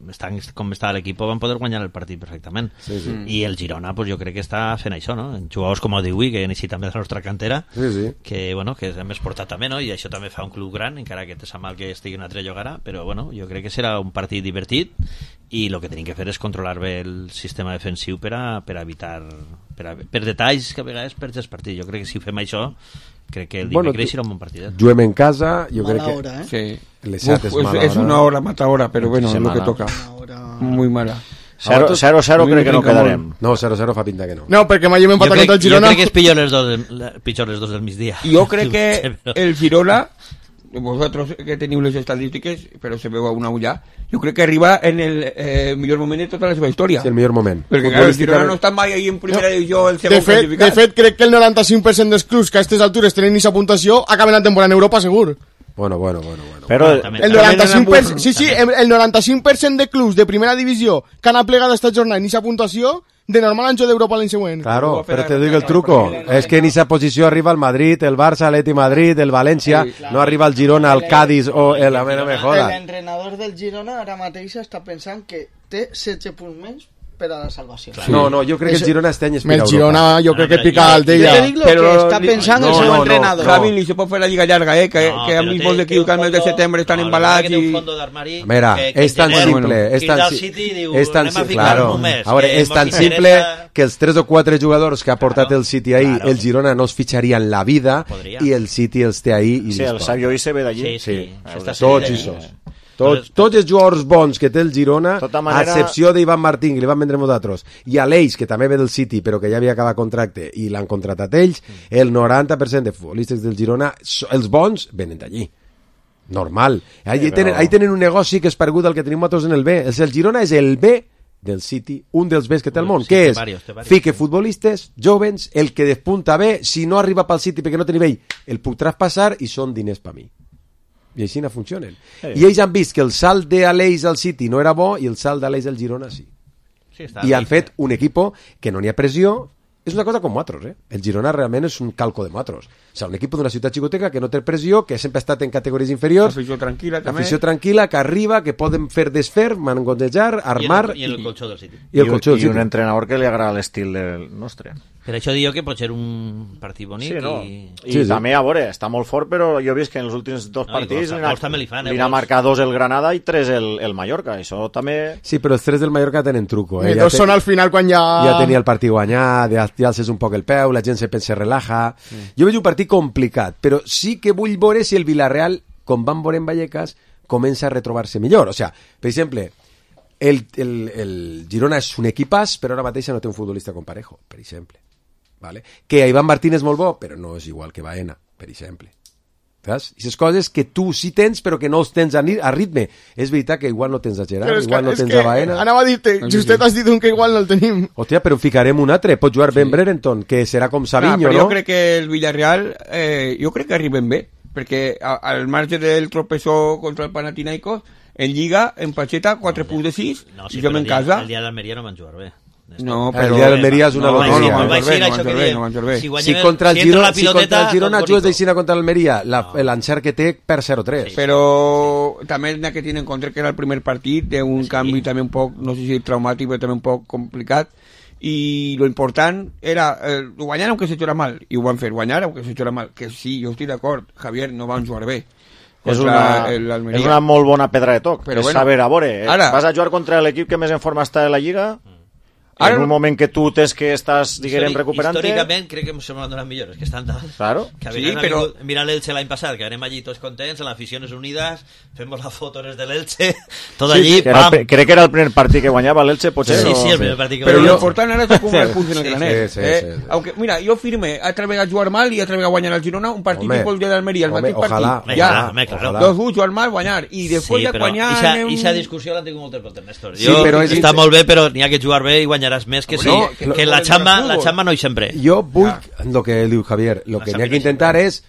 Estan, com estava l'equip, van poder guanyar el partit perfectament. Sí, sí. I el Girona, pues, jo crec que està fent això, no? Jugadors com el Diui, que necessita també de la nostra cantera, sí, sí. que, bueno, que hem exportat també, no? I això també fa un club gran, encara que te sap mal que estigui un altre lloc ara, però, bueno, jo crec que serà un partit divertit i el que tenim que fer és controlar bé el sistema defensiu per a, per a evitar... Per, a, per detalls que a vegades perds el partit. Jo crec que si fem això, crec que el dimecres bueno, serà un bon partidet. Juguem en casa, jo mala crec que... hora, eh? Sí. Uf, es, es una hora matadora, pero bueno, es lo que toca. Muy mala. cero cero crec que no quedarem. No, cero cero fa pinta que no. No, perquè mai hem empatat contra el Girona. Jo crec que és pitjor les dos, del, pitjor les dos del migdia. Jo crec que el Girona, vosotros que teniu les estadístiques, però se veu a una ulla, jo crec que arriba en el eh, millor moment de tota la seva història. Sí, el millor moment. Perquè claro, el Girona no està mai ahí en primera no. divisió, el segon de fet, classificat. de fet, crec que el noranta-cinc per cent dels clubs que a aquestes altures tenen aquesta puntuació acaben la temporada en Europa, segur. Bueno, bueno, bueno, bueno. Però el noranta-cinc per cent, sí, sí, el noranta-cinc per cent de clubs de primera divisió que han aplegat esta jornada en aquesta puntuació, de normal han jugado d'Europa l'any següent. Claro, pero te digo el truco. Es que en esa posición arriba el Madrid, el Barça, el Atleti Madrid, el Valencia, sí, claro. No arriba el Girona, el Cádiz o el... A ver, no me jodas. El entrenador del Girona ara mateix està pensant que té setze punts menys per a la salvació. Sí. No, no, jo crec que el Girona este any és per a Europa. El Girona jo crec que pica al Jo te dic lo que està pensant el seu entrenador. Javi, ni se pot fer la lliga llarga, eh? Que, no, que a mismos de equips que al mes de setembre estan no, embalats i... Mira, és tan simple, és tan simple, és tan simple, claro, ahora, és tan simple que els tres o quatre jugadors que ha portat el City ahí, el Girona no els fitxaria en la vida i el City els té ahí. Sí, el Sabio se ve d'allí. Sí, tots i sos. Tots, tots els jugadors bons que té el Girona, manera... a excepció d'Ivan Martín, que li van vendre nosaltres, i a l'Eix, que també ve del City, però que ja havia acabat contracte, i l'han contratat ells, mm. el noranta per cent de futbolistes del Girona, els bons, venen d'allí. Normal. Ahí, sí, tenen, però... ahí tenen un negoci que és paregut al que tenim nosaltres en el B. El Girona és el B del City, un dels Bs que té el món, sí, que és varios, varios, fique futbolistes, jovens, el que despunta bé, si no arriba pel City perquè no té nivell, el puc traspassar i són diners per mi. I així no funcionen. Sí. I ells han vist que el salt d'Aleix al City no era bo i el salt d'Aleix al Girona sí. Sí, i han fet un equip que no n'hi ha pressió. És una cosa com nosaltres, eh? El Girona realment és un calco de nosaltres. O sigui, un equip d'una ciutat xicoteca que no té pressió, que sempre ha estat en categories inferiors. Afició tranquil·la, també. Afició tranquil·la, que arriba, que poden fer desfer, mangonejar, armar... I el, i el colxó del City. I, el colxó del City. I un entrenador que li agrada l'estil del nostre. Per això dic que pot ser un partit bonic. Sí, no? I, I sí, també, a veure, està molt fort, però jo he vist que en els últims dos no, partits li n'ha marcat dos el Granada i tres el, el Mallorca. Això també... Sí, però els tres del Mallorca tenen truco. Eh? I dos ja són al final quan ja... Ja tenia el partit guanyat, ja, ja alces un poc el peu, la gent se pensa, relaja... Sí. Jo veig un partit complicat, però sí que vull veure si el Villarreal, com van veure en Vallecas, comença a retrobar-se millor. O sea, per exemple, el, el, el Girona és un equipàs, però ara mateix no té un futbolista com Parejo, per exemple. Vale? Que Iván Martín és molt bo, però no és igual que Baena, per exemple. Saps? I les coses que tu sí tens, però que no els tens a, a ritme. És veritat que igual no tens a Gerard, igual no tens a Baena. Anava a dir-te, justet has dit un que igual no el tenim. Hòstia, però ficarem un altre. Pot jugar sí. Ben Brereton, que serà com Savinho, no? no? Jo crec que el Villarreal, eh, jo crec que arriben bé, perquè al marge del tropezó contra el Panathinaikos, en Lliga, en Pacheta, quatre punts de sis, no, sí, i jo en casa... El dia d'Almeria no van jugar bé. No, però... El dia d'Almeria és una loteria. No, no, no, no, si contra el Girona, si contra el Girona jugues d'Eixina contra l'Almeria, l'encert que té per zero tres. Però també n'hi ha que tenir en compte que era el primer partit d'un canvi també un poc, no sé si traumàtic, però també un poc complicat, i lo important era eh, guanyar aunque se echara mal, i ho van fer, guanyar aunque se echara mal, que sí, jo estic d'acord, Javier, no van jugar bé. És una, és una molt bona pedra de toc, però és bueno, saber, a veure, ara, vas a jugar contra l'equip que més en forma està de la Lliga, ara, en un moment que tu tens que estàs, diguem, recuperant-te... Històricament crec que se m'han donat millores, que estan dalt. Claro. Que sí, però... Mira l'Elche l'any passat, que anem allí tots contents, en las aficiones unidas, femos las fotos de l'Elche, tot allí, sí, pam! El, crec que era el primer partit que guanyava l'Elche, potser. Sí, no? sí, el primer partit que però guanyava. Però l'important ara és com el punt en el granet. Sí, sí, sí, sí. Aunque, mira, jo firme, altra vegada jugar mal i altra vegada guanyar al Girona, un partit que vol dir d'Almeria, el mateix partit. Ja, dos u jugar mal, guanyar, i després ja guanyar... I aquesta discussió l'han tingut moltes voltes, Néstor. Està molt bé, però n'hi ha que jugar bé i guanyaràs més que sí. Que la chamba, la chamba no hi sempre. Jo vull, lo que diu Javier, lo que n'hi ha que intentar és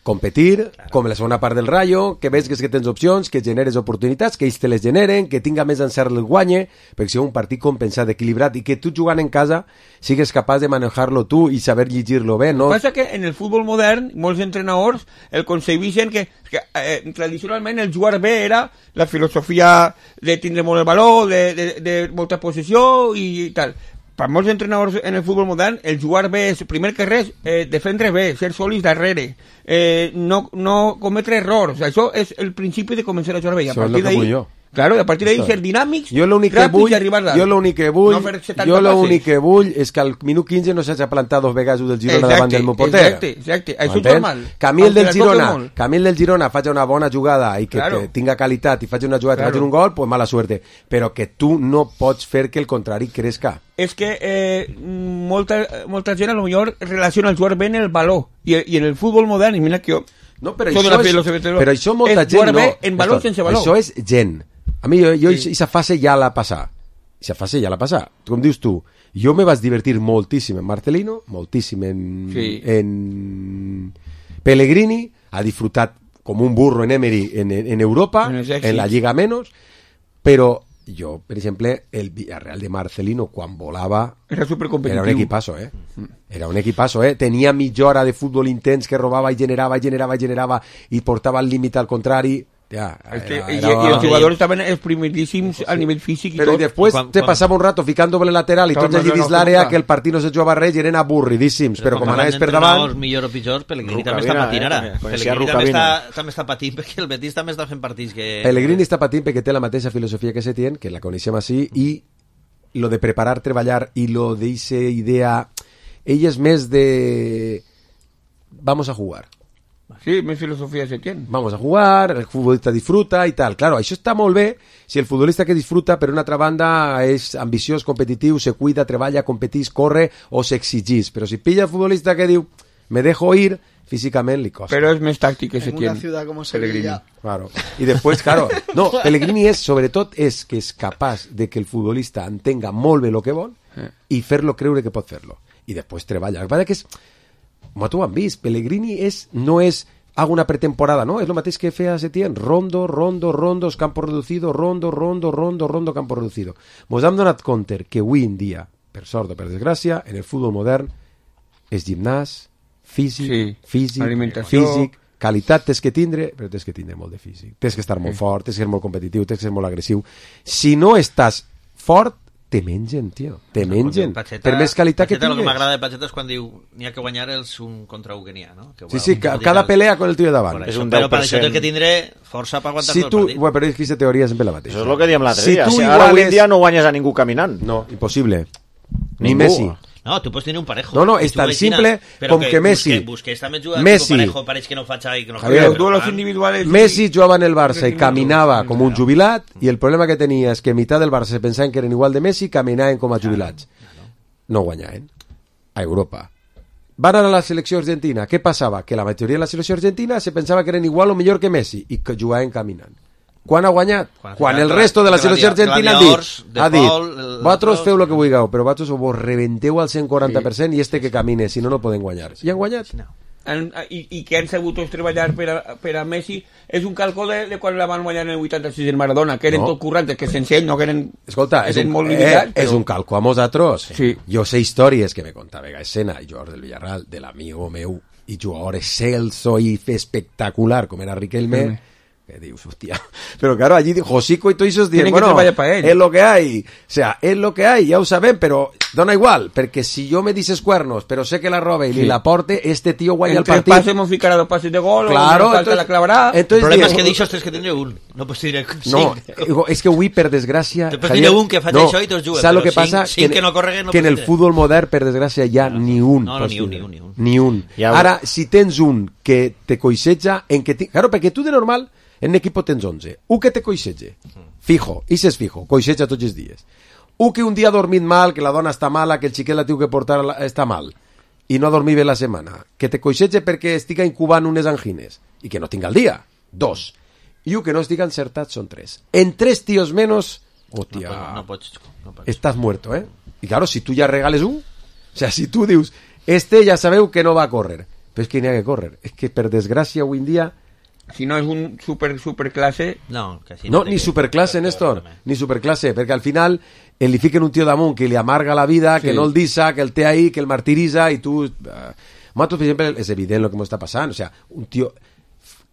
competir, com la segona part del Rayo, que veus que tens opcions, que generes oportunitats, que ells te les generen, que tinga més encert el guanye, perquè sigui un partit compensat, equilibrat, i que tu jugant en casa sigues capaç de manejar-lo tu i saber llegir-lo bé, no? Passa que en el futbol modern, molts entrenadors el concebeixen que, que eh, tradicionalment el jugar bé era la filosofia de tindre molt el valor, de, de, de molta possessió i tal. Per molts entrenadors en el futbol modern, el jugar bé és, primer que res, eh, defendre bé, ser sòlids darrere, eh, no, no cometre errors. Això és el principi de començar a jugar bé. I a Això partir d'ahí, claro, a partir d'ahí ser dinàmics, jo l'únic que vull, jo l'únic que vull, no jo l'únic que vull és que al minut quinze no s'hagi plantat dos vegades del Girona exacte, davant del meu porter. Exacte, exacte, això és normal. Que a mi el del Girona, que a mi el del Girona faci una bona jugada i que claro. tinga qualitat i faci una jugada claro. i faci un gol, pues mala suerte. Però que tu no pots fer que el contrari crezca. És que eh, molta, molta gent a lo millor relaciona el jugar bé en el valor i, i en el futbol modern, i mira que jo no, però, això és, però això molta és gent no, en valor sense valor. Això és gent. A mi, jo, jo sí. Esa fase ja la passà. Esa fase ja la passà. Com dius tu, jo me vas divertir moltíssim en Marcelino, moltíssim en, sí. en Pellegrini, ha disfrutat com un burro en Emery en, en, en Europa, en, en la Lliga menos, però jo, per exemple, el Villarreal de Marcelino, quan volava, era supercompetitiu. Era un equipazo, eh? Era un equipazo, eh? Tenia mitja hora de futbol intens que robava i generava, i generava, i generava, i portava al límit al contrari. Hòstia, Este, era, y, era... y els jugadors estaven exprimidíssims a nivell físic i Però tot. i després quan- te quan- passava un rato ficant doble lateral i Clar, tots no, allí no, dins no, l'àrea no, que el partit no se jugava res i eren avorridíssims, però com anaves per davant... millor o pitjor, Pellegrini també Rucavina, està patint ara. eh? Coneixia Pellegrini també Rucavina. està, també està patint perquè el Betis també està fent partits que... Pellegrini està patint perquè té la mateixa filosofia que Setién, que la coneixem així, i lo de preparar, treballar i lo de esa idea... Ell és més de... Vamos a jugar. Sí, més filosofia se tiene. Vamos a jugar, el futbolista disfruta i tal. Claro, això està molt bé si el futbolista que disfruta, per una altra banda, és ambiciós, competitiu, se cuida, treballa, competís, corre o s'exigís. Però si pilla el futbolista que diu me dejo ir, físicament li costa. Però és més tàctic que se En tiene. una ciudad como Pellegrini. Sevilla. Claro. Y después, claro, no, Pellegrini és, sobretot, és que és capaç de que el futbolista entenga molt bé el que vol i fer-lo creure que pot fer-lo. I després treballa. El que passa que és, com tu ho han vist, Pellegrini és, no és hago una pretemporada, no? És el mateix que feia Setién, rondo, rondo, rondos, campo reducido, rondo, rondo, rondo, rondo, campo reducido. Mos hem donat compte que avui en dia, per sort o per desgràcia, en el futbol modern és gimnàs, físic, Sí, físic, alimentació. físic, qualitat tens que tindre, però tens que tindre molt de físic. Tens que estar molt fort, tens que ser molt competitiu, tens que ser molt agressiu. Si no estàs fort, te mengen, tio. Te mengen. Pacheta, Per més qualitat que Pacheta, el que tingues. m'agrada de Pacheta és quan diu n'hi ha que guanyar els un contra un que n'hi ha, no? Que, Sí, bueno, sí, ca- cada pelea con el tio de davant. Por És això, un però deu per per això cent. té que tindre força per aguantar Si tot tu, el partit. bueno, però és que aquesta teoria és sempre la mateixa. Això és el que diem l'altre Si dia. tu Si igual ara avui en és- dia no guanyes a ningú caminant. No, impossible. Ni Ningú. Messi. No, tu pots tenir un parejo. No, no, I és tu tan veus simple quina- com però que Messi- Busquets, Busquets també juga Messi- Messi, parejo, pareix que no faig i que no Javier, juega, Els duelos però, individuales... Messi jugava en el Barça i caminava com un jubilat i el problema que tenia és que mitad del Barça se pensaven que eren igual de Messi i caminaven com a jubilats. No guanyaven. A Europa. Van a la selecció argentina. Què passava? Que la majoria de la selecció argentina se pensava que eren igual o millor que Messi i que jugaven caminant. Quan ha guanyat? Quan ha Quan guanyat el resto de la selecció Gladia- argentina ha Gladiadors, dit, De ha dit Paul, el- vosaltres el- feu el que vulgueu, però vosaltres vos reventeu al cent quaranta per cent i este que camine, si no, no poden guanyar. I han guanyat. Han, i, i que han sabut tots treballar per a, per a Messi és un calco de, de quan la van guanyar en el vuitanta-sis en Maradona, que eren No. tot currantes, que sencell, no que eren... Escolta, és eren un, molt eh, limitats, és però- un calco a nosaltres. Sí. Jo sé històries que me contava escena George del Villarreal, de l'amigo meu i jugador excelso i espectacular com era Riquelme, Sí. que dius, hòstia, però claro, allí Josico y todos esos dicen, Tienen que bueno, treballar pa ell. es lo que hay, o sea, es lo que hay, ja ho sabem, però dona igual, perquè si jo me dices cuernos, però sé que la robe i Sí. li la porte, este tío guanya el Entre el partit. pase hemos ficarà dos pases de gol, Claro, o una falta entonces- la clavarà... entonces El problema diu- és que d'això tens que tenir un. No pots tenir No, cinc. digo, és que avui, per desgràcia... Te pots Javier, tenir un que faci això i tots juguen, Saps el però que cinc- passa? cinc en- que no correguen no que en pots el tenir. futbol modern, per desgràcia, hi ha ni un. No, no, pots ni un, tindre. ni un, ni un. Ni un. Ja ho- Ara, si tens un que te coixeja, en que ti... Claro, perquè tu de normal, en un equip tens onze. Un que te coixeja, fijo, i és fijo, coixeja tots els dies. Un que un dia ha dormit mal, que la dona està mala, que el xiquet la tiu que portar a la- està mal, i no ha dormit bé la setmana. Que te coixeja perquè estiga incubant unes angines, i que no tinga el dia. Dos. I un que no estiga encertat són tres. En tres tios menos, hòstia, No, no pots... No pots. estás muerto, ¿eh? Y claro, si tú ya regales un, o sea, si tú dius, este ya sabeu que no va a correr, pero es que ni ha que correr, es que per desgràcia avui en dia, Si no és un super, super clase... No, que si no, té ni que- superclasse, Néstor, ni superclasse, perquè al final el li fiquen un tio damunt que li amarga la vida, Sí. que no el dissa, que el té ahí, que el martiritza, i tu... Uh, Matos, per exemple, és evident el que m'està passant, o sea, un tio...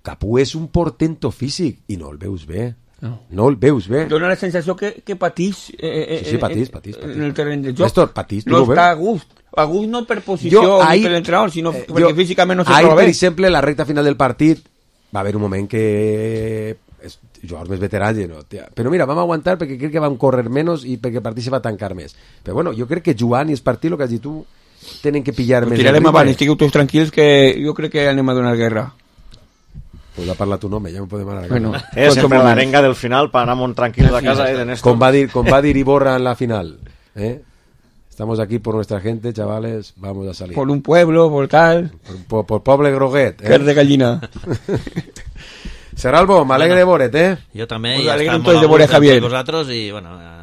Capú és un portento físic, i no el veus bé. No. No el veus bé. Dóna la sensació que, que patís, eh, eh, Sí, sí, patís, eh, patís, patís. en el terreny de joc. Néstor, patís, tu no no ho està veus? a gust. A gust no per posició Jo, ni ahir- per l'entrenador, sinó eh, perquè jo- físicament no se ahir, troba per bé. exemple, la recta final del partit va haver un moment que és, jugadors més veterans no, tia. Però mira, vam aguantar perquè crec que vam córrer menys i perquè el partit se va tancar més. Però bueno, jo crec que jugant i el partit, el que has dit tu, tenen que pillar Ho més tirarem el ritme. avant, estigueu tots tranquils que jo crec que anem a donar guerra. Pues va parlar tu nom, ja m'ho podem anar. Bueno, És tots sempre som l'arenga del final per anar molt tranquils a casa, eh, de Néstor. Com va dir, com va dir Iborra en la final. ¿eh? Estamos aquí por nuestra gente, chavales, vamos a salir. por un pueblo, por tal, Por, por, por poble groguet. que és de Eh? gallina. Serralbo, m'alegre de veure't, eh? Jo també, Us ja alegrem està tots molt de a veure gust Javier. amb tots vosaltres i, bueno, a,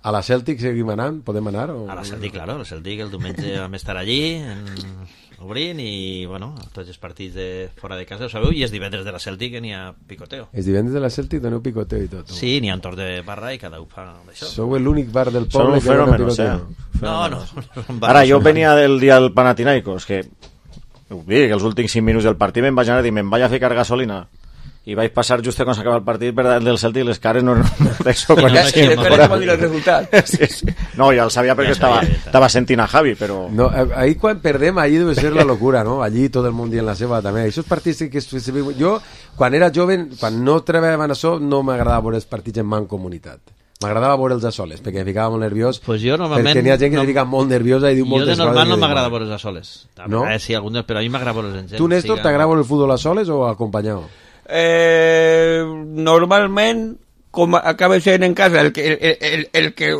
A la Celtic seguim anant? Podem anar? O... a la Celtic, claro, la Celtic el diumenge vam estar allí en, obrint i, bueno, tots els partits de fora de casa, ho sabeu, i els divendres de la Celtic que n'hi ha picoteo. Els divendres de la Celtic doneu picoteo i tot. Sí, n'hi ha un torn de barra i cada un fa això. Sou l'únic bar del Són poble un que dona fenómenos, picoteo. eh? No, no, no, no Ara, jo venia del dia del Panathinaikos, que ho dic, els últims cinc minuts del partit me'n vaig anar a dir, me'n vaig a ficar gasolina. i vaig passar just quan s'acaba el partit per davant del Celtic i les cares no eren d'això. Ja, ja, ja, ja dir el resultat. Sí, sí. No, ja el sabia perquè estava, estava sentint a Javi, però... No, ahí quan perdem, allí debe ser la locura, ¿no? Allí tot el món dient la seva també. Aquests partits que... Jo, quan era jove, quan no treballava en això, no m'agradava veure els partits en mancomunitat. M'agradava veure'ls a soles, perquè em ficava molt nerviós. Pues jo normalment... Perquè n'hi ha gent que no, se fica molt nerviosa i diu moltes coses. Jo de normal no m'agrada veure'ls a soles. No? Eh, sí, algun dia, però a mi m'agrada veure'ls en gent. Tu, Néstor, siga... t'agrada el futbol a soles o acompanyat? Eh, normalment, com acaba sent en casa, el que, el, el, el que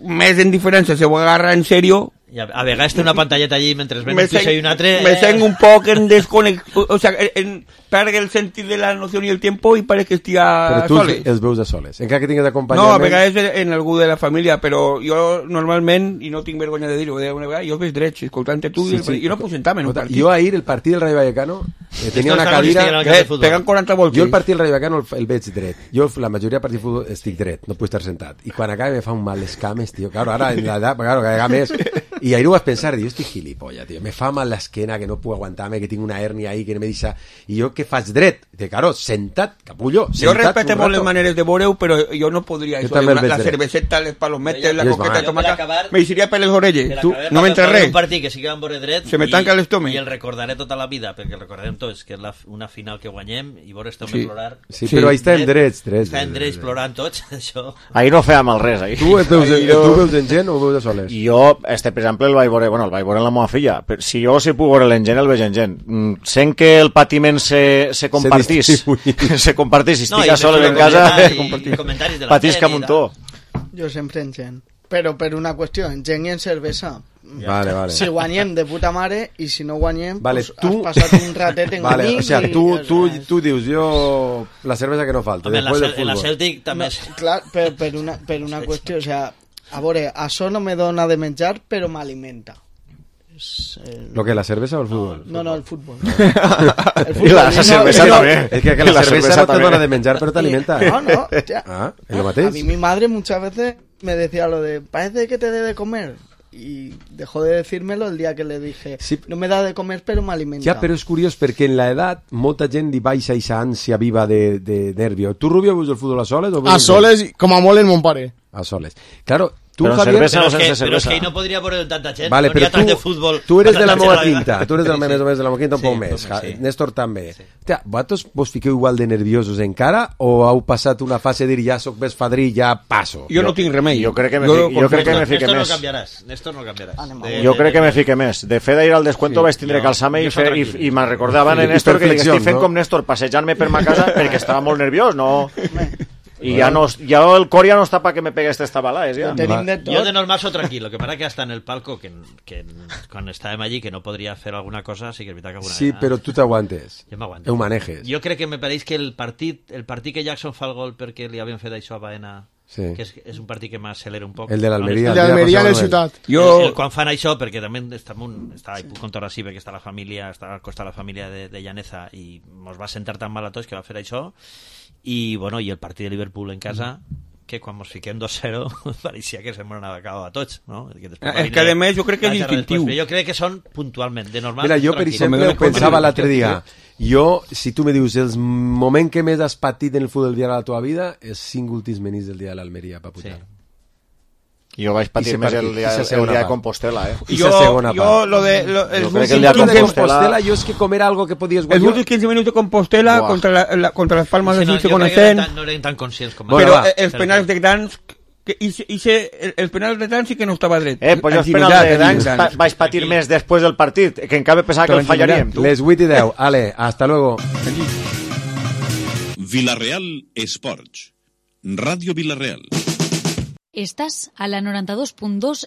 més en diferència se ho agarra en sèrio... I a, a vegades té una pantalleta allí mentre ven un piso i un altre... Me sent un poc en desconexió, o sea, en, perd el sentit de la noció i el tiempo i parece que estigui a però tu soles. els veus a soles, encara que tingues acompanyament... No, a vegades en algú de la família, però jo normalment, i no tinc vergonya de dir-ho, jo els veig drets, escoltant-te tu, sí, sí. Jo no puc sentar-me en un partit. Jo ahir, el partit del Rayo Vallecano, eh, tenia una cadira... Eh, pegant quaranta voltes. Jo el partit del Rayo Vallecano el, el veig dret. Jo la majoria de partits de futbol estic dret, no puc estar sentat. I quan acaba me fa un mal les cames, tio. Claro, ara en l'edat, claro, cada més... I ahir ho vas pensar, diu, estic gilipollas, tio, me fa mal l'esquena, que no puc aguantar-me, que tinc una hernia ahí, que no me deixa... I jo què faig dret? De claro, sentat, capullo, sentat. Jo respecte molt les maneres de veure-ho, però jo no podria... Jo també el veig la dret. cerveseta, les palometes, la coqueta de tomaca... Acabar, me deixaria per les orelles. Tu, no m'entra res. Un partit que sigui amb veure dret... Se me tanca l'estómac. I el recordaré tota la vida, perquè el recordarem tots, que és la, una final que guanyem, i veure este home sí. plorar... Sí, però ahí estem drets, drets. Estem drets plorant tots, això... Ahir no fèiem el res, ahir. Tu, veus, jo... tu veus en gent o veus a soles? Jo, este, per exemple, el vaig veure, bueno, el vaig veure en la meva filla. Però si jo si puc veure en gent, el veig en gent. Mm, sent que el patiment se, se compartís, se, se compartís, si estic no, a soles en casa, patisca un muntó. Jo sempre en gent. Però per una qüestió, en gent i en cervesa. Vale, vale. Si guanyem de puta mare i si no guanyem, vale, pues tu... has passat un ratet en vale, amic. O sea, tu, i... tu, tu dius, jo la cervesa que no falta. Home, después la, del fútbol. en la Celtic també... No, clar, per, per, una, per una qüestió, o sea, a veure, això no me dona de menjar, però m'alimenta. El... ¿Lo que, la cerveza o el fútbol? No, no, el fútbol. El fútbol y la, la cerveza no, también. Es que, que la, la cerveza, cerveza no te dona de menjar, pero te alimenta. No, no. Tía. Ah, ¿es lo mateix? A mí mi madre muchas veces me decía lo de, parece que te debe comer. Y dejó de decírmelo el día que le dije, sí. No me da de comer, però m'alimenta. Ja, però és curiós perquè en l'edat molta gent li baixa aquesta ànsia viva de, de nervio. Tu, Rubio, veus el futbol a soles? O a soles, com a molt en mon pare. A soles. Claro, tu, però Javier... Cervesa, però, no és que, cervesa. però és que no podria veure tanta gent. Vale, no però tu, de futbol, tu eres de la meva quinta. Tu eres de la sí, més o menys de la meva quinta un sí, poc més. Sí. Néstor també. Sí. Tia, vosaltres vos fiqueu igual de nerviosos encara o heu passat una fase de dir ja soc més fadrí, ja passo? Jo no tinc remei. Jo crec que me, jo, jo, jo crec que me fique Néstor més. No canviaràs. Néstor no canviaràs. De, jo crec que me fique més. De fet, d'ahir al descuento sí, vaig tindre que alçar-me i, fer, i, i me'n recordaven en Néstor que estic fent no? com Néstor, passejant-me per ma casa perquè estava molt nerviós, no... I ja, no, ja el cor ja no està para que me pegue este estabalà, ja. Jo de normal soy tranquilo, lo que pasa que hasta en el palco, que, que cuando estàvem allí, que no podria fer alguna cosa, sí que és veritat que alguna Sí, vegada... però tu t'aguantes. Jo m'aguanto. Ho manejes. Jo crec que me pareix que el partit, el partit que Jackson fa el gol perquè li havien fet això a Baena, sí. que és, és un partit que m'accelera un poc. El de l'Almeria. El de l'Almeria en el Ciutat. Jo... El, el, quan fan això, perquè també estem un, està, puc contar així, perquè està la família, està al costat de la família de, de Llaneza i mos va sentar tan mal a tots que va fer això. I, bueno, i el partit de Liverpool en casa, que quan ens fiquem dos cero pareixia que se m'ho anava acabant a tots, no? Que és que a més jo crec que és instintiu. Jo crec que són puntualment, de normal. Mira, jo per exemple ho pensava l'altre dia. Jo, si tu me dius el moment que més has patit en el futbol del dia de la teva vida, els cinc últims menís del dia de l'Almeria, pa putar. Sí. Jo vaig patir més el dia, el dia de Compostela, eh? I jo, segona jo lo de... Lo, jo crec que el dia de Compostela... Compostela jo és que com era algo que podies guanyar... Els últims quinze minuts de Compostela Buah. contra, la, la, contra les Palmes de no, Suïssa coneixent... No eren tan conscients com... Però bueno, els penals de Gdansk... Que hice, hice el, el penal de Gdansk sí que no estava dret. Eh, pues jo els penals de Gdansk pa, vaig patir Aquí. més després del partit, que encara pensava que el fallaríem. Tu. Les vuit i deu. Ale, hasta luego. Villarreal Sports. Radio Villarreal. Estás a la noranta dos punt dos